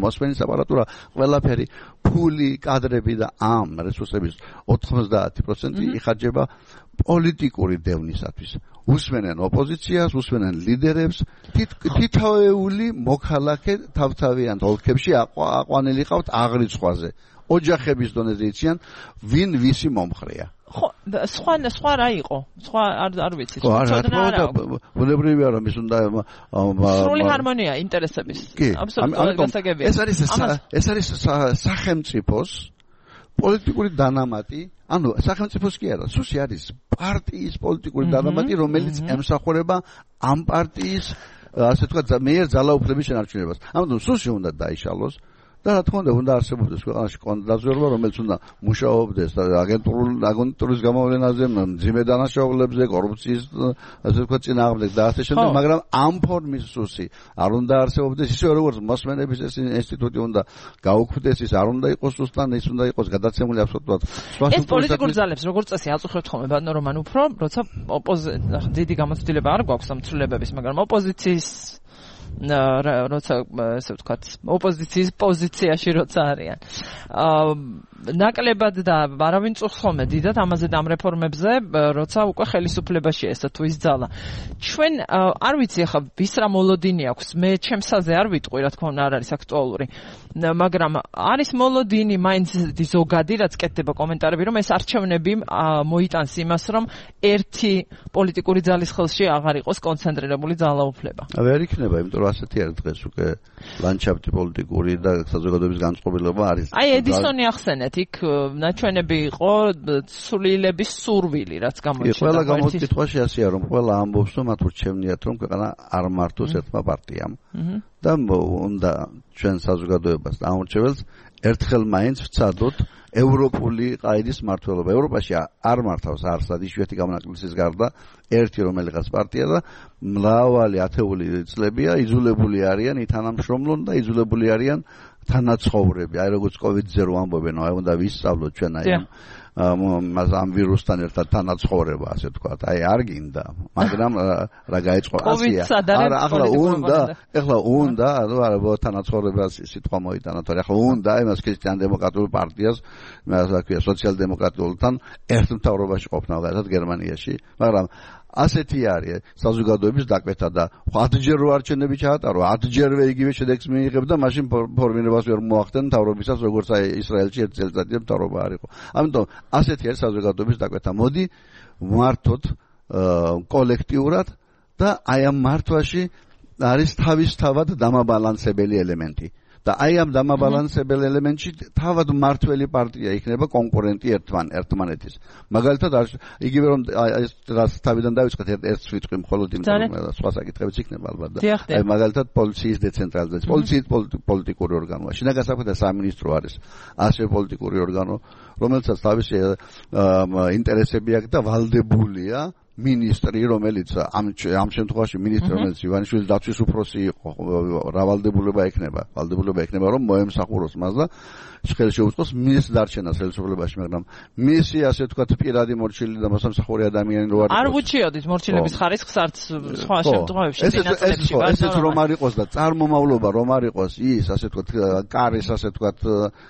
მოსმენის აპარატურა, ყველაფერი, ფული, კადრები და ამ რესურსების 90% იხარჯება პოლიტიკური დევნისათვის. უსმენენ ოპოზიციას, უსმენენ ლიდერებს, თითოეული მოქალაქე თავთავიან ოლქებში აყვანილი ყავთ აღრიცხვაზე. ოჯახების დონეზე იციან, ვინ ვისი მომხრეა. ხო, სხვა რა იყო? სხვა არ ვიცი. ბუნებრივია რომ ის უნდა სრული ჰარმონია ინტერესების. აბსოლუტურად გასაგებია. ეს არის სახელმწიფოს პოლიტიკური დანამატი, ანუ სახელმწიფოს კი არა, სუსი არის პარტიის პოლიტიკური დანამატი, რომელიც ემსახურება ამ პარტიის ასე თქვა მეერ ძალაუფლების შენარჩუნებას. ამიტომ სულში უნდა დაიშალოს და რა თქმა უნდა არსებობდეს ქვეყანაში კონტრდაზვერვა, რომელიც უნდა მუშაობდეს აგენტურის გამოვლენაზე, მძიმე დანაშაულებზე, კორუფციის ასე თქვა წინააღმდეგ და ასე შემდეგ, მაგრამ ამ ფორმის სუსი არ უნდა არსებობდეს, ისე როგორც მოსმენების ეს ინსტიტუტი უნდა გაუქმდეს, ის არ უნდა იყოს უსტან, ის უნდა იყოს გადაცემული აბსოლუტურად სხვა ეს პოლიტიკურ ძალებს როგორც წესი აწუხებთ ხოლმე ბატონო რომან უფრო როცა დიდი გამოცდილება არ გვაქვს ამ ცვლილებების, მაგრამ ოპოზიციის როცა ესე ვთქვათ ოპოზიციის პოზიციაში როცა არიან ნაკლებად და არავინ წუხს ხოლმე დიდად ამაზე და ამ რეფორმებზე როცა უკვე ხელისუფლებაში ესა თუ ის ძალა ჩვენ არ ვიცი ახლა ვის რა მოლოდინი აქვს მე ჩემსაზე არ ვიტყვი რა თქმა უნდა არ არის აქტუალური მაგრამ არის მოლოდინი მაინც ზოგადი რაც კეთდება კომენტარები რომ ეს არჩევნები მოიტანს იმას რომ ერთი პოლიტიკური ძალის ხელში აღარ იყოს კონცენტრირებული ძალაუფლება ვერ იქნება იმიტომ რომ ასეთი არის დღეს უკვე ლანდშაფტი პოლიტიკური და საზოგადოების განწყობილება არის აი ედისონი ახსენეთ იქ ნაჩვენები იყო ცვლილების სურვილი რაც გამოჩნდა ყველა გამოკითხვაში ასეა რომ ყველა ამბობს რომ მათ ურჩევნიათ რომ ქვეყანა არ მართოს ერთმა პარტიამ და უნდა ჩვენ საზოგადოებას დაამორჩეველს ერთხელ მაინც ვცადოთ ევროპული ყაიდის მმართველობა. ევროპაში არ მართავს არსად იშვიათი გამონაკლისის გარდა ერთი რომელიღაც პარტია და მრავალი ათეული წლებია იძულებული არიან ითანამშრომლონ და იძულებული არიან თანაცხოვრები. აი როგორც COVID-ზე რო ამბობენ, აი უნდა ვისწავლოთ ჩვენ აი ამ ვირუსთან ერთად თანაცხოვრება, ასე ვთქვათ. აი არ გინდა, მაგრამ რა გაიწყო ასია. არა, ახლა უნდა, არა თანაცხოვრება სიტყვა მოიტანა, თორე ახლა უნდა იმას ქრისტიან-დემოკრატიულ პარტიას, ასე ქვია, სოციალ-დემოკრატიულთან ერთ მთავრობაში ყოფნა, გადაად გერმანიაში, მაგრამ ასეთი არის საზოგადოების დაკვეთა და 10ჯერ რო არჩევნები ჩაატარო 10ჯერვე იგივე შედეგს მიიღებდა მაშინ ფორმირებას ვერ მოახდენ მთავრობისას როგორც აი ისრაელში ერთ წელიწადია მთავრობა არ იყო ამიტომ ასეთი არის საზოგადოების დაკვეთა მოდი მართოთ კოლექტიურად და აი ამ მართვაში არის თავისთავად დამაბალანსებელი ელემენტი და აი ამ დამაბალანსებელ ელემენტში თავად მართველი პარტია იქნება კონკურენტი ერთმანეთის. მაგალითად იგივე რომ რაც თავიდან დავიწყეთ ერთ ვიტყვი მხოლოდ იმ სხვა საკითხებიც იქნება ალბათ და აი მაგალითად პოლიციის დეცენტრალიზაცია. პოლიციის პოლიტიკური ორგანოა. შინაგან საქმეთა სამინისტრო არის ასევე პოლიტიკური ორგანო, რომელსაც თავისი ინტერესები აქვს და ვალდებულია ministri რომელიც ამ შემთხვევაში ministri რომელიც ივანიშვილის დაცვის უფროსი იყო რავალდებულება ექნება რომ მოემსახუროს მას და ხელს შეუწყოს მის დარჩენას ხელისუფლებაში მაგრამ მისი ასე ვთქვათ პირადი მორჩილი და მოსამსახური ადამიანი რო არის არ უჩიოდით მორჩილების ხარისხს არც სხვა შემთხვევებში წინაწლებში ესეც რომ არ იყოს და წარმომავლობა რომ არ იყოს ის ასე ვთქვათ კარის ასე ვთქვათ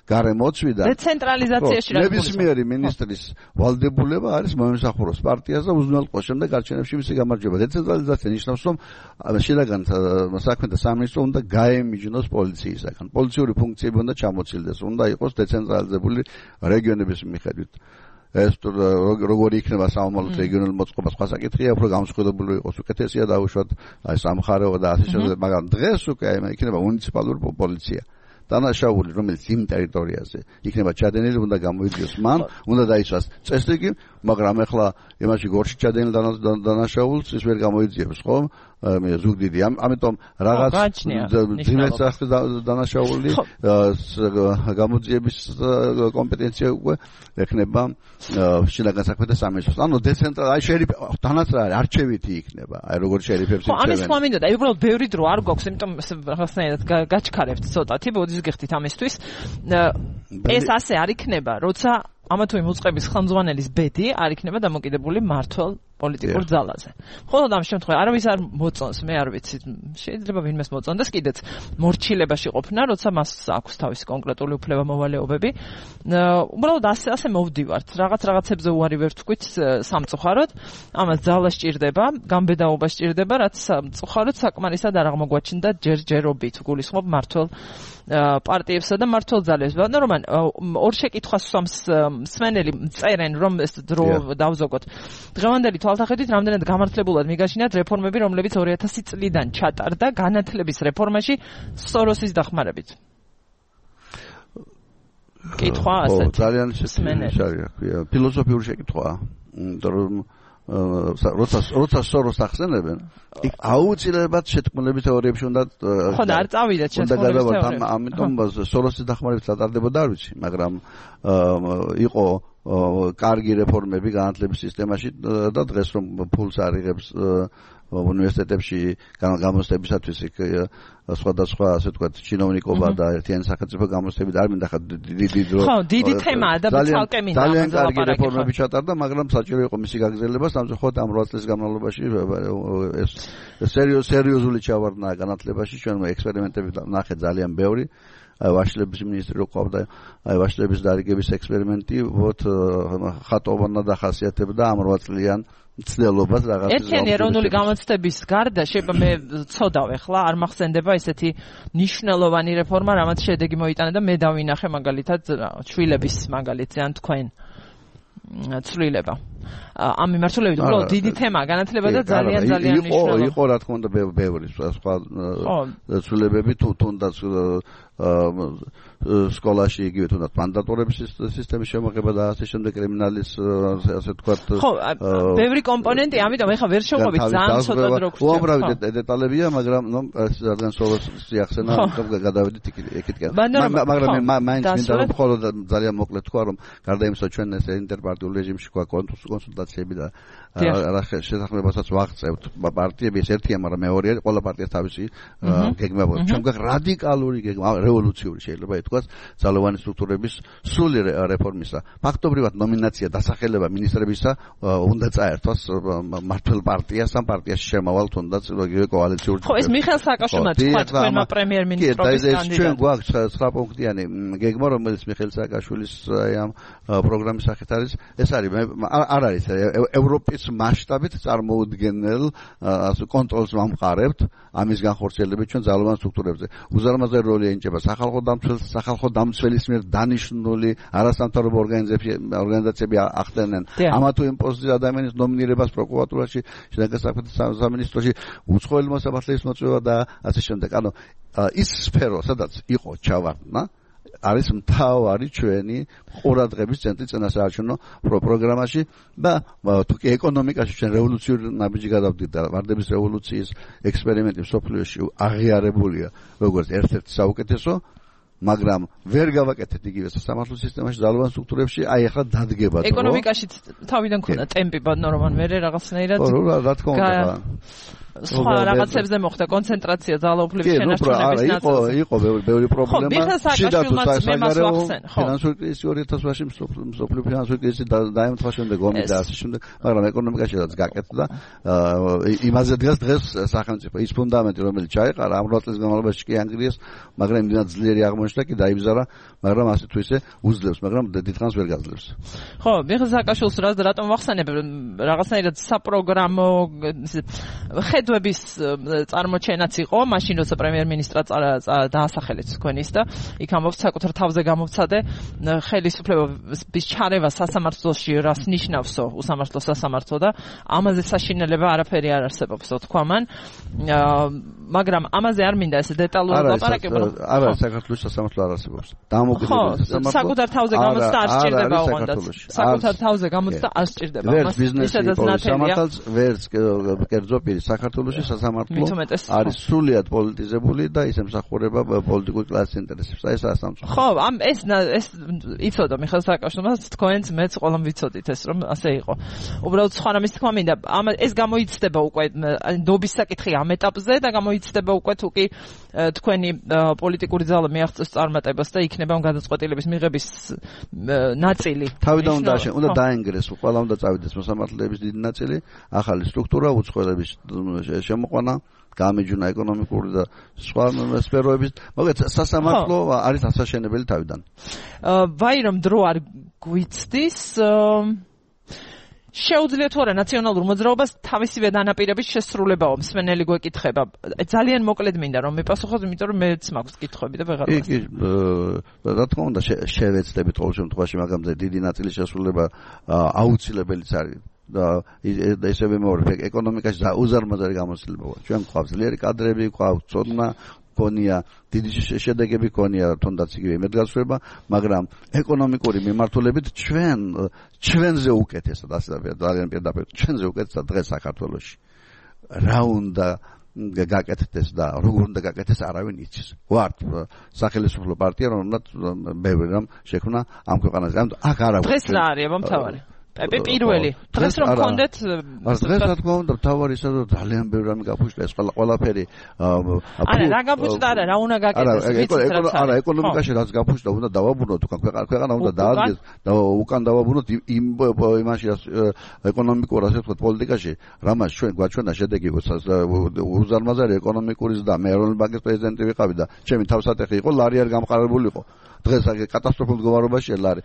გარემოცვი და დეცენტრალიზაციაში რა ნებისმიერი ministris ვალდებულება არის მოემსახუროს პარტიას და უზრუნველყოს შემდეგ არჩევნებში მისი გამარჯვება დეცენტრალიზაცია ნიშნავს რომ შინაგან საქმეთა სამინისტრო უნდა გაემიჯნოს პოლიციისაგან პოლიციური ფუნქციები უნდა ჩამოცილდეს უნდა იყოს დეცენტრალიზებული რეგიონების მიხედვით ეს როგორი იქნება საომალო რეგიონული მოწყობა სხვა საკითხია უფრო გამსხვილებული იყოს უკეთესია დაუშვათ აი სამხარეო და ასე შემდეგ მაგრამ დღეს უკვე იქნება მუნიციპალური პოლიცია დანაშაული რომელიც იმ ტერიტორიაზე იქნება ჩადენილი უნდა გამოიძიოს მან უნდა დაიცვას წესრიგი მაგრამ ახლა იმაში გორში ჩადენილ დანაშაულს ის ვერ გამოიძიებს ხო მე ზუგდიდი ამიტომ რაღაც ძიმეს ახლა დანაშაული გამოძიების კომპეტენცია უკვე ეხნება შინაგან საქმეთა სამინისტროს ანუ დეცენტრალ აი შერიფი თანაც რა არის არჩევითი იქნება აი როგორ შერიფებს იწევენ ამის სხვა მინდოდა აი უბრალოდ ბევრი დრო არ გვაქვს იმიტომ რაღაცნაირად გაჩქარებთ ცოტათი ბოდის გიხდით ამისთვის ეს ასე არ იქნება როცა ამა თუ იმ უწყების ხელმძღვანელის ბედი არ იქნება დამოკიდებული მართლ პოლიტიკურ ძალაზე. მხოლოდ ამ შემთხვევაში არავის არ მოწონს, მე არ ვიცი, შეიძლება ვინმეს მოწონდეს კიდეც მორჩილებაში ყოფნა, როცა მას აქვს თავისი კონკრეტული უფლება მოვალეობები. უბრალოდ ასე მოვდივართ. რაღაცებზე უარი ვერ თქვით სამწუხაროდ. ამას ძალა სჭირდება, გამბედაობა სჭირდება, რაც სამწუხაროდ საკმარისად არ აღმოგვაჩნდა ჯერჯერობით. გულისხმობ მართლ პარტიებსა და მართლ ძალებს. რომან ორ შეკითხვას მსმენელი წერენ რომ ეს დრო დავზოგოთ. დღევანდელი თვალსაჩინით რამდენად გამართლებულად მიგაშინათ რეფორმები, რომლებიც 2000 წლიდან ჩატარდა განათლების რეფორმაში სოროსის დახმარებით. კითხვა ასეთი. ძალიან შესაძლოა, ფილოსოფიური შეკითხვაა. იმიტომ რომ როცა სოროს ახსენებენ, იქ აუცილებლად შეთქმულების თეორიებში უნდა ხო და არ წავიდეთ შეთქმულების თეორიებში. ამიტომ სოროსის დახმარებით სატარდებოდა არ ვიცი, მაგრამ იყო კარგი რეფორმები განათლების სისტემაში და დღეს რომ ფულს არიღებს უნივერსიტეტებში გამოცდებისათვის იქ სხვადასხვა ასე ვთქვათ ჩინოვნიკობა და ერთიანი სახელმწიფო გამოცდებით არ მინდა ხა დიდი დრო ხო დიდი თემაა და ცალკე მინდა ძალიან კარგი რეფორმები ჩატარდა მაგრამ საჭირო იყო მისი გაგრძელება სამწუხაროდ ამ 8 წლის განმავლობაში ეს სერიოზული ჩავარდნა განათლებაში ჩვენ ექსპერიმენტები ნახეთ ძალიან ბევრი ვაშლების მინისტრი რო ყავდა ვაშლების დარიგების ექსპერიმენტი ვოთ ხატოვანა დახასიათებდა ამ 8 წლიან ცდელობას რაღაც ერთიანი ეროვნული გამოცდების გარდა შეიძლება მე ცოდავ ახლა არ მახსენდება ესეთი ნიშნულოვანი რეფორმა რამაც შედეგი მოიტანა და მე დავინახე მაგალითად შვილების მაგალითზე ან თქვენ ცვლილება ამ მიმართულებით უბრალოდ დიდი თემაა განათლება და ძალიან მნიშვნელოვანი იყო რა თქმა უნდა ბევრი სხვა ცვლილებები თუნდაც სკოლაში იგივე თუნდაც მანდატორების სისტემის შემოღება და ასე შემდეგ კრიმინალის ასე ვთქვათ ხო ბევრი კომპონენტი ამიტომ ეხლა ვერ შევყვებით ძალიან ცოტა დრო გვჭირდება უამრავი დეტალებია მაგრამ რადგან სოლოს ახსენა გადავედით იქითკენ მაგრამ მაინც მინდა რომ მხოლოდ ძალიან მოკლედ თქვა რომ გარდა იმისა ჩვენ ეს ინტერპარტიულ რეჟიმში ყვა კონსულტაციები და რა შესაძლებასაც ვაღწევთ პარტიების ერთია მაგრამ მეორეა ყველა პარტიას თავისი გეგმა აქვს ჩვენ გვაქვს რადიკალური გეგმა რევოლუციური შეიძლება ითქვას ძალოვანი სტრუქტურების სრული რეფორმისა ფაქტობრივად ნომინაცია დასახელება მინისტრებისა უნდა წაერთვას მართლ პარტიას ამ პარტიაში შემავალ თუნდაც იგივე კოალიციური ხო ეს მიხეილ სააკაშვილმა თქვა თქვენმა პრემიერ-მინისტრობის კანდიდატს ჩვენ გვაქვს 9 პუნქტიანი გეგმა რომელიც მიხეილ სააკაშვილის ამ პროგრამის სახით არის ეს არის არ არის ევროპის მასშტაბით წარმოუდგენელ კონტროლს ვამყარებთ ამის განხორციელებით ჩვენ ძალოვან სტრუქტურებზე უზარმაზარი როლი ენიჭება სახალხო დამცველის მიერ დანიშნული არასამთავრობო ორგანიზაციები ახდენენ ამა თუ იმ პოზიციაზე ადამიანის ნომინირებას პროკურატურაში შინაგან საქმეთა სამინისტროში უცხოელმა საფრთხის მოწვევა და ასე შემდეგ ანუ ის სფერო სადაც იყო ჩავარდნა არის მთავარი ჩვენი ყურადღების ცენტრი წინასაარჩევნო პროგრამაში და თუკი ეკონომიკაში ჩვენ რევოლუციური ნაბიჯი გადავდით და ვარდების რევოლუციის ექსპერიმენტი მსოფლიოში აღიარებულია როგორც ერთ-ერთი საუკეთესო მაგრამ ვერ გავაკეთეთ იგივე სასამართლო სისტემაში ძალოვან სტრუქტურებში აი ახლა დადგება ეკონომიკაში თავიდან ქონდა ტემპი ბადნოროვან მე რაღაცნაირად რა თქმა უნდა სხვა რაღაცებზე მოხდა კონცენტრაცია ძალაუფლების შენარჩუნების ნაწილზე იყო ბევრი პრობლემა ფინანსური კრიზისი 2008-ში მსოფლიო ფინანსური კრიზისი დაემთხვა შემდეგ ომი და ასე შემდეგ მაგრამ ეკონომიკაშიც გაკეთდა იმაზე დღეს სახელმწიფო ის ფუნდამენტი რომელიც ჩაეყარა ამ 8 წლის განმავლობაში კი ანგრიეს მაგრამ იმდენად ძლიერი აღმოჩნდა კი დაიბზარა მაგრამ ასე თუ ისე უძლებს მაგრამ დიდხანს ვერ გაძლევს ხო მიხეილ სააკაშვილს რატომ ვახსენებ რაღაცნაირად საპროგრამო ხედვების წარმოჩენაც იყო მაშინ როცა პრემიერ-მინისტრა დაასახელეთ თქვენის და იქ ამბობს საკუთარ თავზე გამოვცადე ხელისუფლების ჩარევა სასამართლოში რას ნიშნავსო უსამართლო სასამართლო და ამაზე საშინელება არაფერი არ არსებობსო თქვა მან მაგრამ ამაზე არ მინდა ესე დეტალურად ლაპარაკება არა საქართველოს სასამართლო არ არსებობს დამოუკიდებელი სასამართლო საკუთარ თავზე გამოცდა არ სჭირდება ოღონდ საკუთარ თავზე გამოცდა არ სჭირდება მას ისედაც ნათელია ვერც კერძო პირი საქართველოში სასამართლო არის სრულიად პოლიტიზებული და ის ემსახურება პოლიტიკური კლასის ინტერესებს. აი ეს ასამწუხო. ხო, ეს იცოდა მიხეილ სააკაშვილმა თქვენც მეც ყველამ ვიცოდით ეს რომ ასე იყო. უბრალოდ სხვა რამის თქმა მინდა, ეს გამოიცდება უკვე ნობის საკითხი ამ ეტაპზე და გამოიცდება უკვე თუკი თქვენი პოლიტიკური ძალა მიაღწევს წარმატებას და იქნება გადაწყვეტილების მიღების ნაწილი. თავიდან უნდა დაენგრეს, ყველა უნდა წავიდეს მოსამართლეების დიდი ნაწილი, ახალი სტრუქტურა, უცხოელების შემოყვანა, გამეჯვნა ეკონომიკური და სხვა სფეროების, მაგრამ სასამართლო არის ასაშენებელი თავიდან. ვაი რომ დრო არ გვიცდის შეუძლია თუ არა ნაციონალურ მოძრაობას თავისივე დანაპირების შესრულებაო მსმენელი გვეკითხება. ძალიან მოკლედ მინდა რომ მიპასუხოთ, იმიტომ რომ მეც მაქვს კითხვები და ვეღარ ვასწავლე. რა თქმა უნდა შევეცდებით ყოველ შემთხვევაში, მაგრამ დიდი ნაწილის შესრულება აუცილებელიც არის. და ისევე მეორე ეკონომიკაში უზარმაზარი გამოცდილება. ჩვენ გვყავს ძლიერი კადრები, გვყავს ცოდნა, გონია დიდი შედეგები გონია თუნდაც იგივე იმედგაცრუება, მაგრამ ეკონომიკური მიმართულებით ჩვენზე უკეთესად ასე ძალიან პირდაპირ ჩვენზე უკეთესად დღეს საქართველოში. რა უნდა გაკეთდეს და როგორ უნდა გაკეთდეს არავინ იცის. ვართ სახელმწიფო პარტია, რომელმაც ბევრი რამ შექმნა ამ ქვეყანაზე. ანუ აქ არა ვარ. დღეს რა არის მომთავარი? პირველი დღეს რომ გქონდეთ დღეს რა თქმა უნდა თავარი ისე ძალიან ბევრი რამე გაფუჭდა ეს ყველაფერი არა რა გაფუჭდა არა რა უნდა გაკეთდეს არა ეკონომიკაში რაც გაფუჭდა უნდა დავაბრუნოთ უკან ქვეყანა უნდა დაადგეს და უკან დავაბრუნოთ იმ იმაში ეკონომიკურ ასე ვთქვათ პოლიტიკაში რამაც ჩვენ გვაჩვენა შედეგი უზარმაზარი ეკონომიკური ზრდა მე ეროვნული ბანკის პრეზიდენტი ვიყავი და ჩემი თავსატეხი იყო ლარი არ გამყარებული იყო დღეს კატასტროფულ მდგომარეობაშია ლარი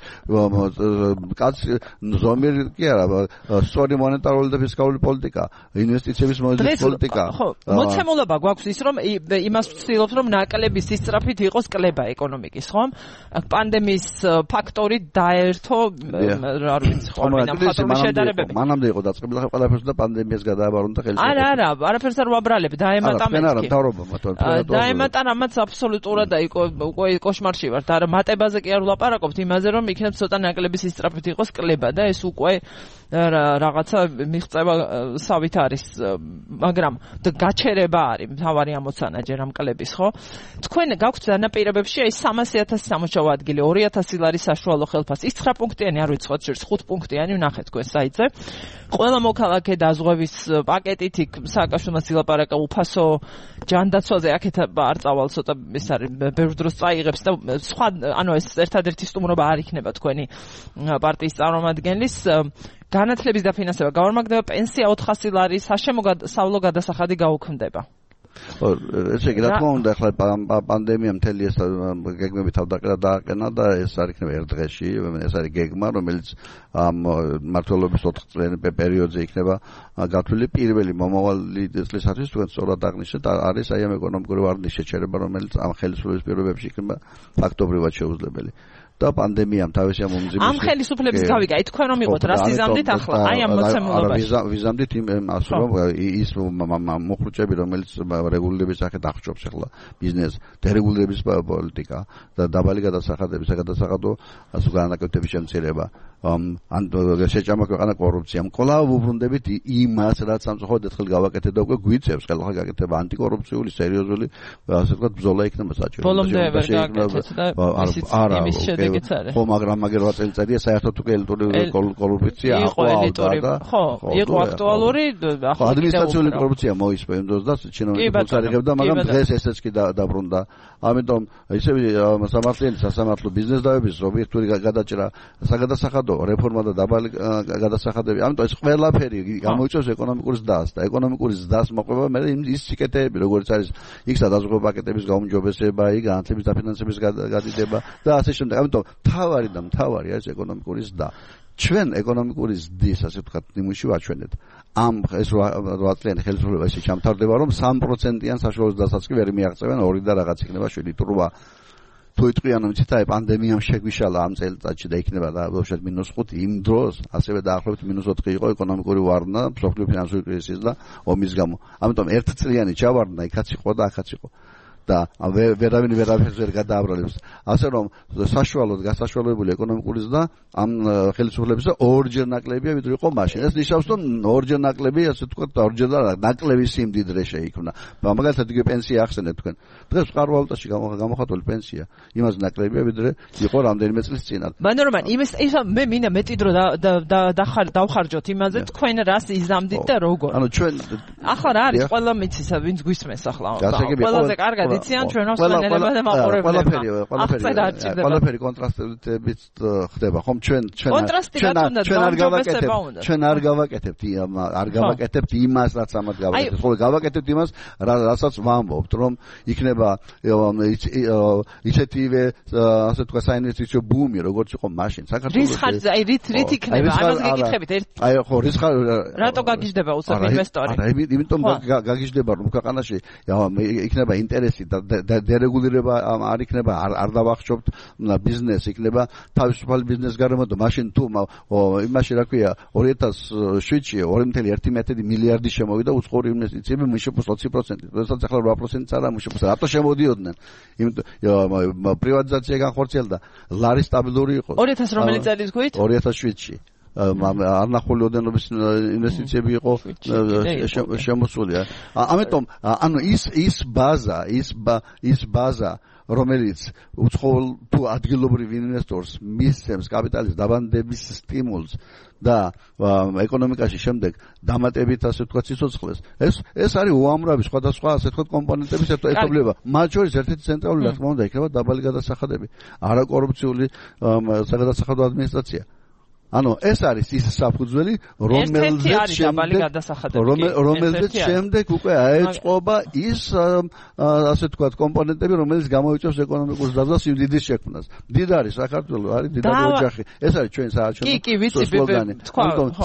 კაცი ზომიერი კი არა სწორი მონეტარული და ფისკალური პოლიტიკა ინვესტიციების მოდელის პოლიტიკა ხო მოცემულობა გვაქვს ის რომ იმას ვცდილობთ რომ ნაკლების სისწრაფით იყოს კლება ეკონომიკის ხო პანდემიის ფაქტორი დაერთო არ ვიცი ხო ამ შედარებები მანამდე იყო დაწყებული ახლა ყველაფერს და პანდემიას გადააბარუნდა ხელისუფლება არა არაფერს არ ვაბრალებ დაემატა მეთქი დაემატა რამაც აბსოლუტურად უკვე კოშმარში ვარ და მატებაზე კი არ ვლაპარაკობთ იმაზე რომ იქნებ ცოტა ნაკლების სისწრაფით იყოს კლება და ეს უკვე რაღაცა მიღწევა სავით არის მაგრამ გაჩერება არის მთავარი ამოცანა ჯერ ამ კლების ხო თქვენ გაქვთ დანაპირებებში აი 300,000 სამუშაო ადგილი 2,000 ლარის საშუალო ხელფასი ის 9 პუნქტიანი არ ვიცხოთ შორს 5 პუნქტიანი ვნახეთ თქვენ საიტზე ყველა მოქალაქე დაზღვევის პაკეტით იქ სააკაშვილმა სილაპარაკა უფასო ჯანდაცვაზე აქეთ არ წავალ ცოტა ეს არის ბევრ დროს წაიღებს და სხვა ანუ ეს ერთადერთი სტუმრობა არ იქნება თქვენი პარტიის წარმომადგენლის განათლების დაფინანსება გავარმაგდება პენსია 400 ლარი სასამო გადასახადი გაუქმდება ესე იგი რა თქმა უნდა ახლა პანდემია მთელი ეს გეგმები თავდაყრა დააყენა და ეს არ იქნება ერთ დღეში ეს არის გეგმა რომელიც ამ მმართველობის 4 წლიანი პერიოდზე იქნება გათვლილი პირველი მომავალი წლისათვის თქვენ სწორად აღნიშნეთ არის აი ამ ეკონომიკური ვარდნის შეჩერება რომელიც ამ ხელისუფლების პირობებში იქნება ფაქტობრივად შეუძლებელი და პანდემიამ თავისი ამ უმძიმის ამ ხელისუფლების გავიგა თქვენ რომ იყოთ რა სიზამდით ახლა აი ამ მოცემულობაში ვიზამდით ასე რომ ის მოხუჭები რომელიც რეგულირების სახით აღჭობს ახლა ბიზნეს დერეგულირების პოლიტიკა და დაბალი გადასახადების გადასახადო ასე განაკუთრების შემცირება ან შეჭამა ქვეყანა კორუფციამ კვლავ უბრუნდებით იმას რაც სამწუხაროდ ერთხელ გავაკეთეთ და უკვე გვიწევს ხელახლა გაკეთება ანტიკორუფციული სერიოზული ასე ვთქვათ ბრძოლა იქნება საჭირო ბოლომდე ვერ გააკეთეთ და იმის შედეგიც არის ხო მაგრამ მაგერვა წელიწადია საერთოდ უკვე ელიტური კორუფცია ხო იყო აქტუალური ადმინისტრაციული კორუფცია მოისპო იმ დროს და ჩინოვნიკებს არიღებდა მაგრამ დღეს ესეც კი დაბრუნდა ამიტომ ისევ სასამართლო ბიზნეს დაავების ობიექტური გადაჭრა საგადასახადო რეფორმა და დაბალი გადასახადები ამიტომ ეს ყველაფერი გამოიწვევს ეკონომიკურ ზრდას და ეკონომიკური ზრდას მოყვება მე ის სიკეთეები როგორც არის იქ სადაზღვევო პაკეტების გაუმჯობესება იქ განათლების დაფინანსების გადიდება და ასე შემდეგ ამიტომ მთავარი არის ეკონომიკური ზრდა ჩვენ ეკონომიკური ზრდის ასე ვთქვათ ნიმუში ვაჩვენეთ ამ ეს 8 წლიანი ხელისუფლება ისე ჩამთავრდება რომ 3%-იან საშუალო ზრდასაც კი ვერ მიაღწევენ 2 და რაღაც იქნება 7 თურვა თუ იტყვიან რომ ციტა პანდემიამ შეგვიშალა ამ წელიწადში და იქნება და ბავშვად -5 იმ დროს ასევე დაახლოებით -4 იყო ეკონომიკური ვარდნა მსოფლიო ფინანსური კრიზისის და ომის გამო ამიტომ 1 წლიანი ჩავარდნა იქაც იყო და აქაც იყო და ვერავინ ვერაფერს ვერ გადააბრალებს ასე რომ საშუალოდ გასაშუალებული ეკონომიკური ზრდა ამ ხელისუფლებისა ორჯერ ნაკლებია ვიდრე იყო მაშინ ეს ნიშნავს რომ ორჯერ ნაკლები ასე ვთქვათ ორჯერ და ნაკლები სიმდიდრე შეიქმნა მაგალითად იგივე პენსია ახსენეთ თქვენ დღეს ვყარ ვალუტაში გამოხატული პენსია იმას ნაკლებია ვიდრე იყო რამდენიმე წლის წინათ მანორომან იმის მე მინდა მეტი დრო დავხარჯოთ იმაზე თქვენ რას იზამდით და როგორ ანუ ჩვენ ახლა რა არის ყველა მიცის ვინც გვისმენს ახლა ყველაზე კარგად იციან ჩვენო სვენელებმა და მაყურებლებმა ყველაფერი კონტრასტებით ხდება ხომ ჩვენ არ გავაკეთებთ იმას რაც ამათ გავაკეთებთ ხოლმე გავაკეთებთ იმას რასაც ვამბობთ რომ იქნება ისეთივე ასე თქვა საინვესტიციო ბუმი როგორც იყო მაშინ საქართველოში რით იქნება ამას გეკითხებით აი ხო რის რატო გაგიჟდება უცებ ინვესტორი არა იმიტომ გაგიჟდება რომ ქვეყანაში იქნება ინტერესი დერეგულირება არ იქნება, არ დავახშობთ ბიზნეს, იქნება თავისუფალი ბიზნეს გარემო და მაშინ თუ იმაში რა ქვია 2007-ში 2.1 მილიარდი შემოვიდა უცხოური ინვესტიციები მუშების 20%. როდესაც ახლა 8%-იც არა მუშების. რატო შემოდიოდნენ? იმიტომ პრივატიზაცია განხორციელდა, ლარი სტაბილური იყო. 2000 რომელი წელს გვით? 2007-ში. არნახული ოდენობის ინვესტიციები იყო შემოსული. ამიტომ ანუ ის ბაზა რომელიც უცხოელ თუ ადგილობრივ ინვესტორს მისცემს კაპიტალის დაბანდების სტიმულს და ეკონომიკაში შემდეგ დამატებით ასე ვთქვათ სიცოცხლეს ეს არის უამრავი სხვადასხვა ასე ვთქვათ კომპონენტების ერთობლიობა მათ შორის ერთ-ერთი ცენტრალური რა თქმა უნდა იქნება დაბალი გადასახადები არაკორუფციული საგადასახადო ადმინისტრაცია ანუ ეს არის ის საფუძველი რომელზეც შემდეგ უკვე აეწყობა ის ასე ვთქვათ კომპონენტები რომელიც გამოიწვევს ეკონომიკურ ზრდას სიმდიდრის შექმნას. მდიდარი საქართველო არის მდიდარი ოჯახი. ეს არის ჩვენი საარჩევნო სლოგანი.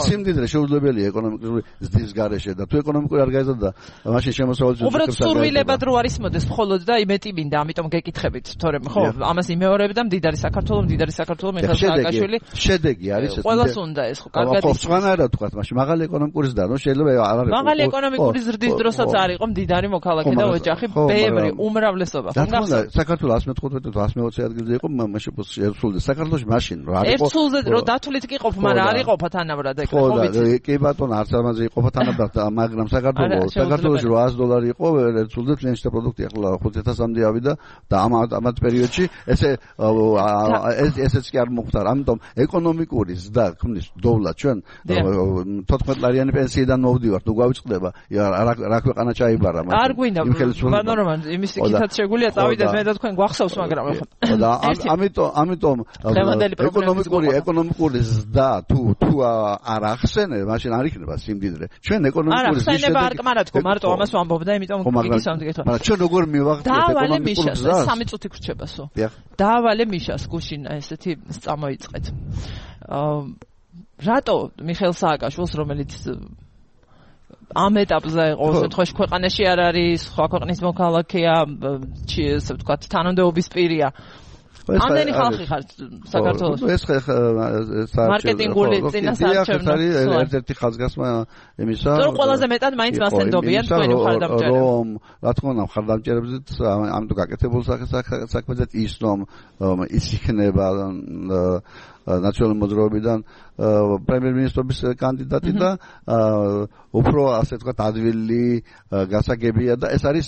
სიმდიდრე შეუძლებელია ეკონომიკური ზრდის გარეშე და თუ ეკონომიკური არ გაიზარდა მაშინ შემოსავალს უბრალოდ სურვილებად რო არის მოდეს მხოლოდ და იმეთი მინდა ამიტომ გეკითხებით თორემ ხო ამას იმეორებ და მდიდარი საქართველო მიხეილ სააკაშვილი შედეგი არის ყველას უნდა ეს ხო კარგად ხო სხვანაირად ვთქვათ მაშინ მაღალი ეკონომიკური ზრდა რომ შეიძლება არ არის მაღალი ეკონომიკური ზრდის დროსაც არ იყო მდიდარი მოქალაქე და ოჯახი ბევრი უმრავლესობა ხო საქართველოს 115 თუ 120 ადგილზე იყო მაშინ შეცვლდა საქართველოში მაშინ რა არის ხო ერთულზე რო დათვლით კი ყოფ მაგრამ არ იყო თანაბრად ეგრე ხო ვიცი კი ბატონო არც ამაზე იყო თანაბრად მაგრამ საქართველოში $800 იყო ერთულზე წინაშე პროდუქტი ახლა 5000-მდე ავიდა და ამათ პერიოდში ესეც კი არ მოხდა ამიტომ ეკონომიკური ზრდა ქმნის დოვლა ჩვენ 14 ლარიანი პენსიიდან მოვდივართ თუ გავიწყდება რა ქვეყანა ჩაიბარა არ გვინდა ბანორომან იმის იქითაც შეგვიძლია წავიდეთ მე და თქვენ გვახსოვს მაგრამ და ამიტომ ეკონომიკური ზრდა თუ არ ახსენე მაშინ არ იქნება სიმდიდრე ჩვენ ეკონომიკური ზრდის შედეგი არ კმარა თქო მარტო ამას ვამბობ და იმიტომ გიგისავდი გეთქვა მაგრამ ჩვენ როგორ მივახდინეთ ეკონომიკურ ზრდას 3 წუთი გრჩებასო დაავალე მიშას გუშინ ესეთი წამოიწყეთ რატო მიხეილ სააკაშვილს რომელიც ამ ეტაპზე იყო შემთხვევაში ქვეყანაში არ არის სხვა ქვეყნის მოქალაქეა ესე ვთქვათ თანამდებობის პირია ამდენი ხალხი ხარ საქართველოში ეს მარკეტინგული წინასაარჩევნო ერთ-ერთი ხაზგასმა იმისა რომ ყველაზე მეტად მაინც მასენდობიან თქვენი მხარდამჭერები რომ რა თქმა უნდა მხარდამჭერებზეც ამიტომ გაკეთებულ საქმეზე ის რომ ის იქნება ნაციონალური მოძრაობიდან პრემიერ-მინისტრობის კანდიდატი და უფრო ასე ვთქვათ ადვილი გასაგებია და ეს არის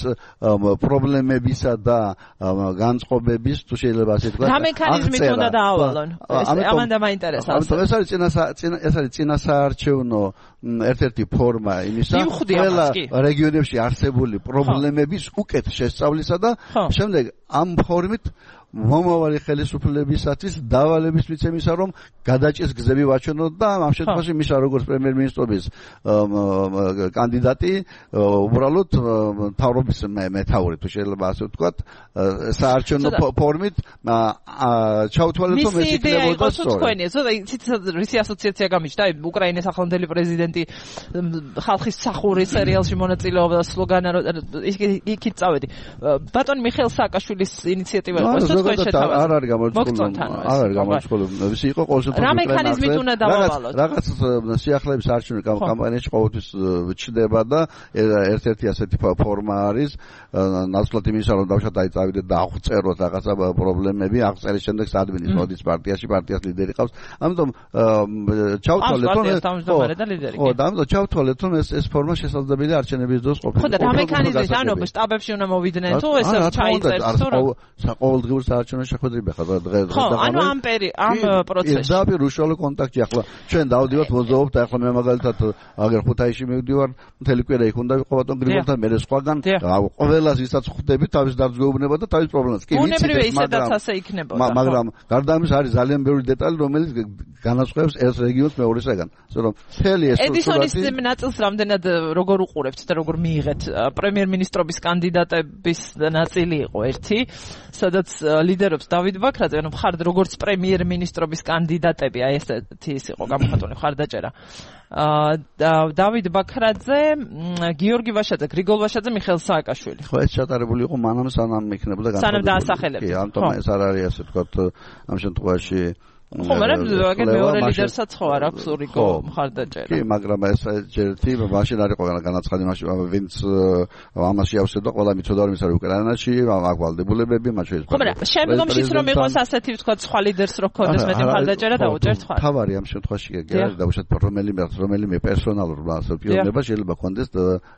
პრობლემებისა და განწყობების თუ შეიძლება ასე ვთქვათ რა მექანიზმით უნდა დაავალონ ამან მაინტერესებს ეს არის წინასაარჩევნო ერთ-ერთი ფორმა იმისა ყველა რეგიონებში არსებული პრობლემების უკეთ შესწავლისა და შემდეგ ამ ფორმით მომავალი ხელისუფლებისათვის დავალების მიცემისა რომ გადაჭრის გზები ვაჩვენოთ და ამ შემთხვევაში მისა როგორც პრემიერ-მინისტრობის კანდიდატი უბრალოდ თავრობის მეთაური თუ შეიძლება ასე ვთქვათ საარჩევნო ფორმით ჩავთვალეთ რომ ეს იქნებოდა სწორი რისი ასოციაცია გამიჩნდა უკრაინის ახლანდელი პრეზიდენტი ხალხის სახურის სერიალში მონაწილეობდა და სლოგანა იქით წავედი ბატონ მიხეილ სააკაშვილის ინიციატივა იყო არ არის გამოცხადებული. ვისი იყო ყოველთვის რა მექანიზმით უნდა დავავალოთ? რაღაც სიახლეების არჩევნო კამპანიაში ყოველთვის ჩდება და ერთ-ერთი ასეთი ფორმა არის ნაცვლად იმისა რომ დავშა დაიწავიდეთ და აღწეროთ რაღაცა პრობლემები, აღწერის შემდეგ საადმინის მოდის პარტიას ლიდერი ყავს. ამიტომ ჩავთვალეთ რომ ხო და ამიტომ ჩავთვალეთ რომ ეს ფორმა შესაძლებელია არჩევნების დროს ყოფილიყო. ხო და რა მექანიზმით ანუ შტაბებში უნდა მოვიდნენ თუ ესე ჩაიწერთ თუ რა? ყოველდღიურ საარჩევნო შეხვედრები ხარ დღეს ხო ანუ ამ პროცესში პირდაპირ უშუალო კონტაქტი ახლა ჩვენ დავდივართ მოძრაობთ და ახლა მე მაგალითად აგერ ხუთაისში მივდივარ მთელი კვირა იქ უნდა ვიყო ბატონ გრიგოლთან მე სხვაგან ყველას ვისაც ხვდები თავის დარწმუნება და თავის პრობლემას კი ვიცით მაგრამ გარდა ამის არის ძალიან ბევრი დეტალი რომელიც განასხვავებს ერთ რეგიონს მეორესაგან ასე რომ მთელი ეს ედისონის ნაწილს რამდენად როგორ უყურებთ და როგორ მიიღეთ პრემიერ-მინისტრობის კანდიდატების ნაწილი იყო ერთი სადაც ლიდერობს დავით ბაქრაძე, ანუ მხარდ როგორც პრემიერ-მინისტრობის კანდიდატები, აი ესეთი ის იყო გამოხატული მხარდაჭერა. დავით ბაქრაძე, გიორგი ვაშაძე, გრიგოლ ვაშაძე, მიხეილ სააკაშვილი. ხო, ეს ჩატარებული იყო მანამ სანამ იქნებოდა განხილული. სანამ დაასახელებდა. კი, ამიტომ ეს არ არის ასე ვთქვათ ამ შემთხვევაში ხო, მაგრამ მეორე ლიდერსაც ხო არ აქვს რიგო მხარდაჭერა. კი, მაგრამ ეს ერთი მაშინ არ იყო განაცხადი მაშინ ვინც ამაში ავსებდა ყველა მიცოდა რომ ის არის უკრაინაში, აქ ვალდებულებები, მათ შორის. ხო, მაგრამ შემდგომში რომ იყოს ასეთი ვთქვათ სხვა ლიდერს რო ქონდეს მეტი მხარდაჭერა დაუჭერთ ხარ. თავარი ამ შემთხვევაში გერა დაუშვათ რომელიმე პერსონალურ პიონერობა შეიძლება ქონდეს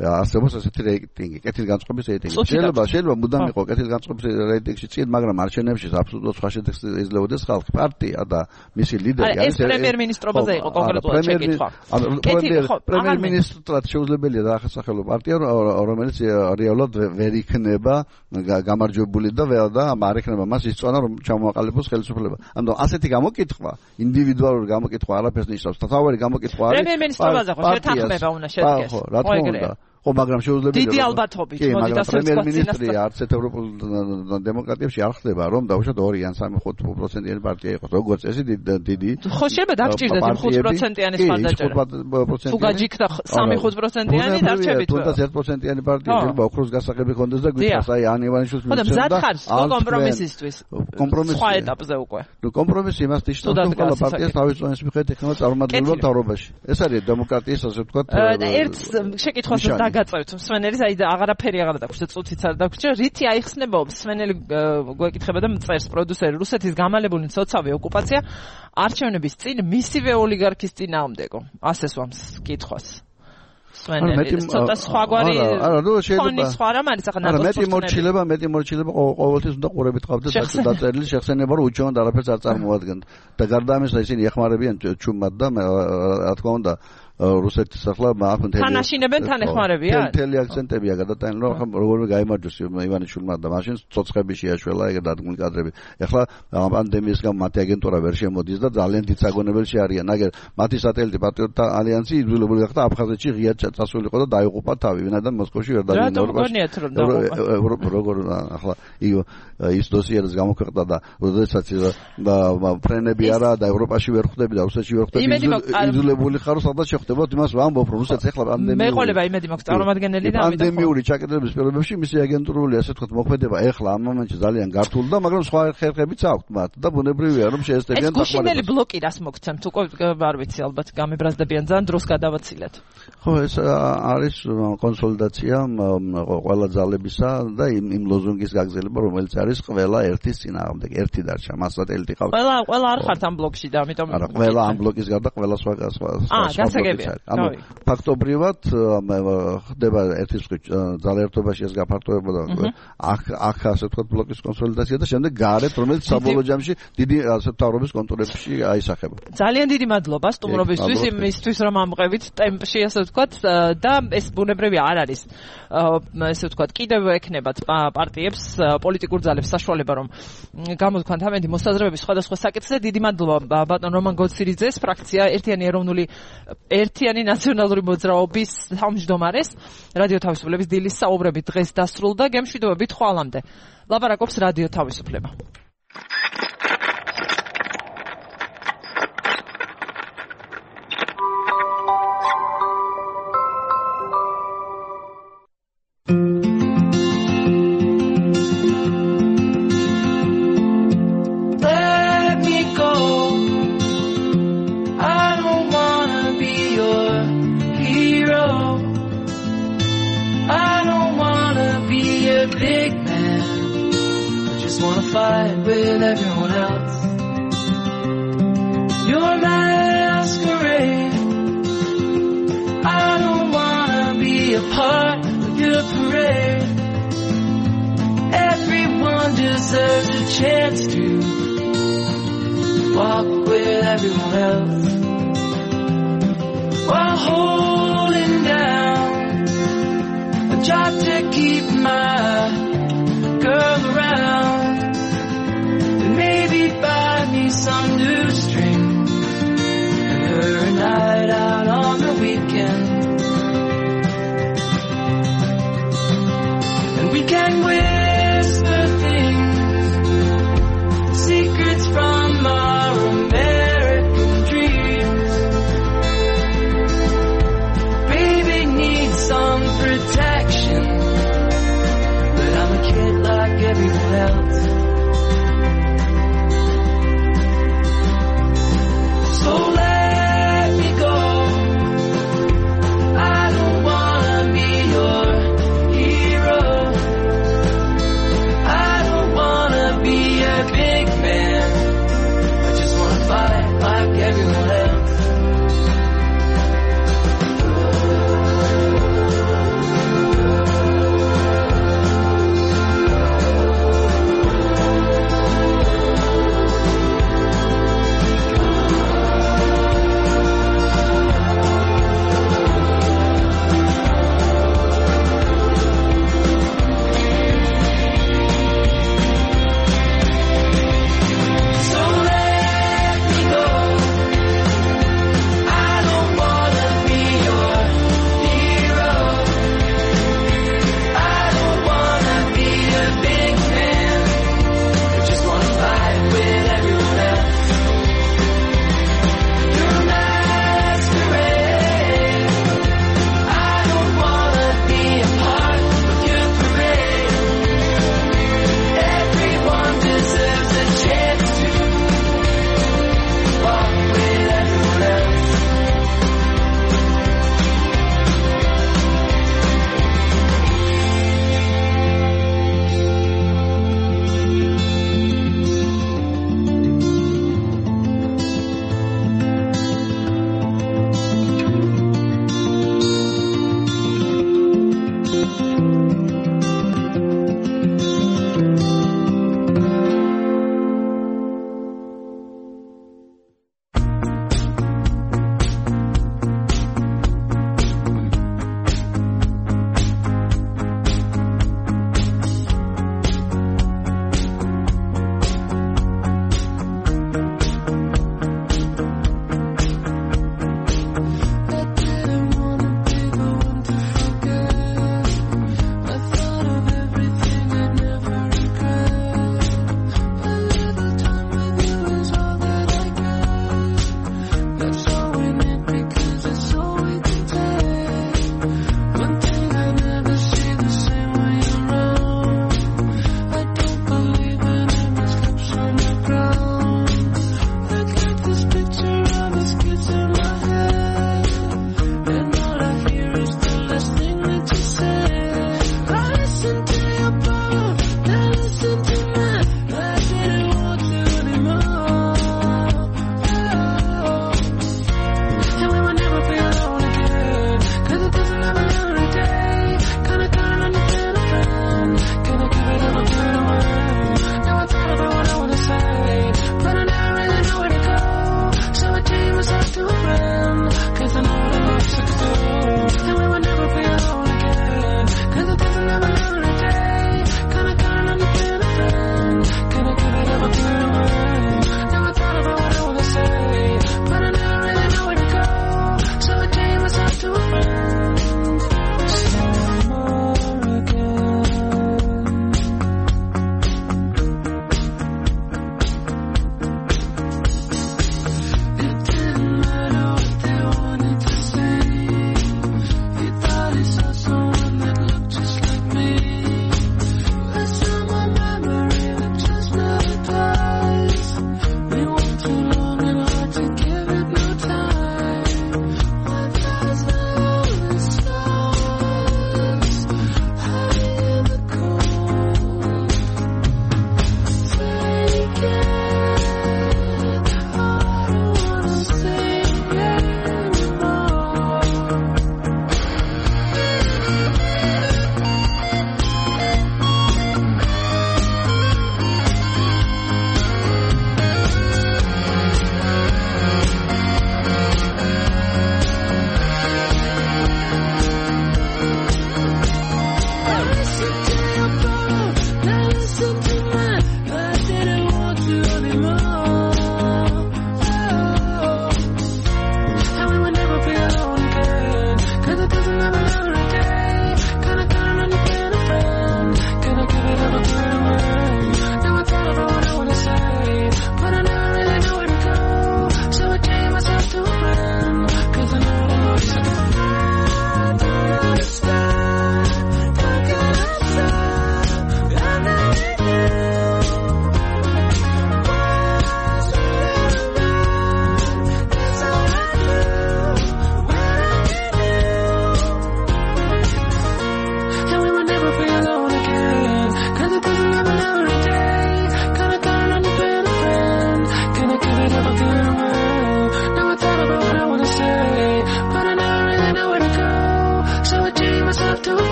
არსებობს ასეთი რეიტინგი, კეთილგანწყობის რეიტინგი. შეიძლება მუდამ იყო კეთილგანწყობის რეიტინგში წინ, მაგრამ არჩევნებში აბსოლუტურად სხვა შედეგს იძლეოდეს ხალხი, პარტია და მისი ლიდერი არის პრემიერ-მინისტრობაზე იყო კონკრეტულად შეკითხვა. პრემიერ-მინისტრად შეუძლებელია დაახსახელო პარტია, რომელიც რეალურად ვერ იქნება გამარჯვებული და არ იქნება მას ისწავნა რომ ჩამოაყალიბოს ხელისუფლება. ანუ ასეთი გამოკითხვა, ინდივიდუალური გამოკითხვა არაფერს ნიშნავს. თავარი გამოკითხვა არის პრემიერ-მინისტრობაზე ხო შეთანხმება უნდა შედგეს. ხო, რა თქმა უნდა. ხო, მაგრამ შეუძლებელია. დიდი ალბათობით, მოდი და პრემიერ-მინისტრი არც ერთ ევროპულ დემოკრატიებში არ ხდება, რომ დაუშვათ 2 ან 3% პარტია იყოს. როგორც წესი დიდი. ხო, შეიძლება დაგჭირდეთ 5%-იანი მხარდაჭერა. თუ გაჯიქდა 3-5%-იანი დარჩებით. თუნდაც 1%-იანი პარტია შეიძლება ოქროს გასაღები ხონდეს და გვიჩას აი ან ივანიშვილს მიცემდა. ხო, მზად ხარ კომპრომისისთვის. სხვა ეტაპზე უკვე. ნუ კომპრომისი იმას ნიშნავს, რომ ყველა პარტიას თავის წონის მიხედვით ექნება წარმომადგენლობა მთავრობაში. ეს არის დემოკრატიის ასე ვთქვათ. ერთ შეკითხვას გაწევთ მსვენელის აი აღარაფერი აღარ დაგვჭირდა წუთიც არ დაგვჭირდა რითი აიხსნება მსვენელი გვეკითხება და მწერს პროდიუსერი რუსეთის გამალებული მცოცავი ოკუპაცია არჩევნების წინ მისივე ოლიგარქის წინააღმდეგო ასე სვამს კითხვას მსვენელი ცოტა სხვაგვარი ფონი სხვა რამ არის ახლა მეტი მორჩილება ყოველთვის უნდა ყურებით ყავდეს დაწერილი შეხსენება რომ უჩვენოდ არაფერს არ წარმოადგენთ და გარდა ამისა ისინი ეხმარებიან ჩუმად და რა თქმა უნდა რუსეთის ახლა აქ თანაშინებენ თან ეხმარებიან მთელი აქცენტებია გადატანილი რომ როგორ გაიმარჯვოს ივანიშვილმა და მაშინ ცოცხლები შეაშველა ეგ დადგმული კადრები ახლა პანდემიის გამო მათი აგენტურა ვერ შემოდის და ძალიან დიდ საგონებელში არიან აგერ მათი სატელიტი პატრიოტთა ალიანსი იძულებული გახდა აფხაზეთში ღიად წასულიყო და დაიღუპა თავი ვინაიდან მოსკოვში ვერ დავიდნენ როგორ ახლა ის დოსიერს გამოქვეყნდა და როდესაც ფრენები არა და ევროპაში ვერ ხვდები და რუსეთში ვერ ხვდები იძულებული ხარ სადაც ხდებოდ იმას ვამბობ რომ რუსეთს ეხლა პანდემია მეყოლება იმედი მაქვს წარმომადგენელი და ამიტომ პანდემიური ჩაკეტილების პირობებში მისი აგენტურული ასე ვთქვათ მოქმედება ეხლა ამ მომენტში ძალიან გართული და მაგრამ სხვა ხერხებიც აქვთ მათ და ბუნებრივია რომ შეესწებიან დახმარებას. ეს გუშინელი ბლოკი რას მოგცემთ უკვე არ ვიცი ალბათ გამებრაზდებიან ძალიან დროს გადავაცილეთ. ხო ეს არის კონსოლიდაცია ყველა ძალებისა და იმ ლოზუნგის გაგზელება რომელიც არის ყველა ერთის წინააღმდეგ ერთი დარჩა მას სატელიტი ყავს. ყველა არ ხართ ამ ბლოკში და ამიტომ არა ყველა ამ ბლოკის გარდა ყველა სხვა ანუ ფაქტობრივად ხდება ერთის ძალაერთობაში ეს გაფართოება და აქ ასე ვთქვათ ბლოკის კონსოლიდაცია და შემდეგ გარეთ რომელიც საბოლოო ჯამში დიდი ასე მთავრობის კონტურებში აისახება. ძალიან დიდი მადლობა სტუმრობისთვის იმისთვის რომ ამყევით ტემპში ასე ვთქვათ და ეს ბუნებრივი არ არის ასე ვთქვათ კიდევ ექნებათ პარტიებს პოლიტიკურ ძალებს საშუალება რომ გამოთქვათ ამენდი მოსაზრებების სხვადასხვა საკითხზე. დიდი მადლობა ბატონ რომან გოცირიძეს ფრაქცია ერთიანი ნაციონალური მოძრაობის თავმჯდომარეს. რადიო თავისუფლების დილის საუბრები დღეს დასრულდა. გემშვიდობებით ხვალამდე. ლაპარაკობს რადიო თავისუფლება. Fight with everyone else. Your masquerade. I don't wanna be a part of your parade. Everyone deserves a chance to walk with everyone else while holding down a job to keep my girl around. Maybe buy me some new string and her a night out on the weekend. And we can whisper things felt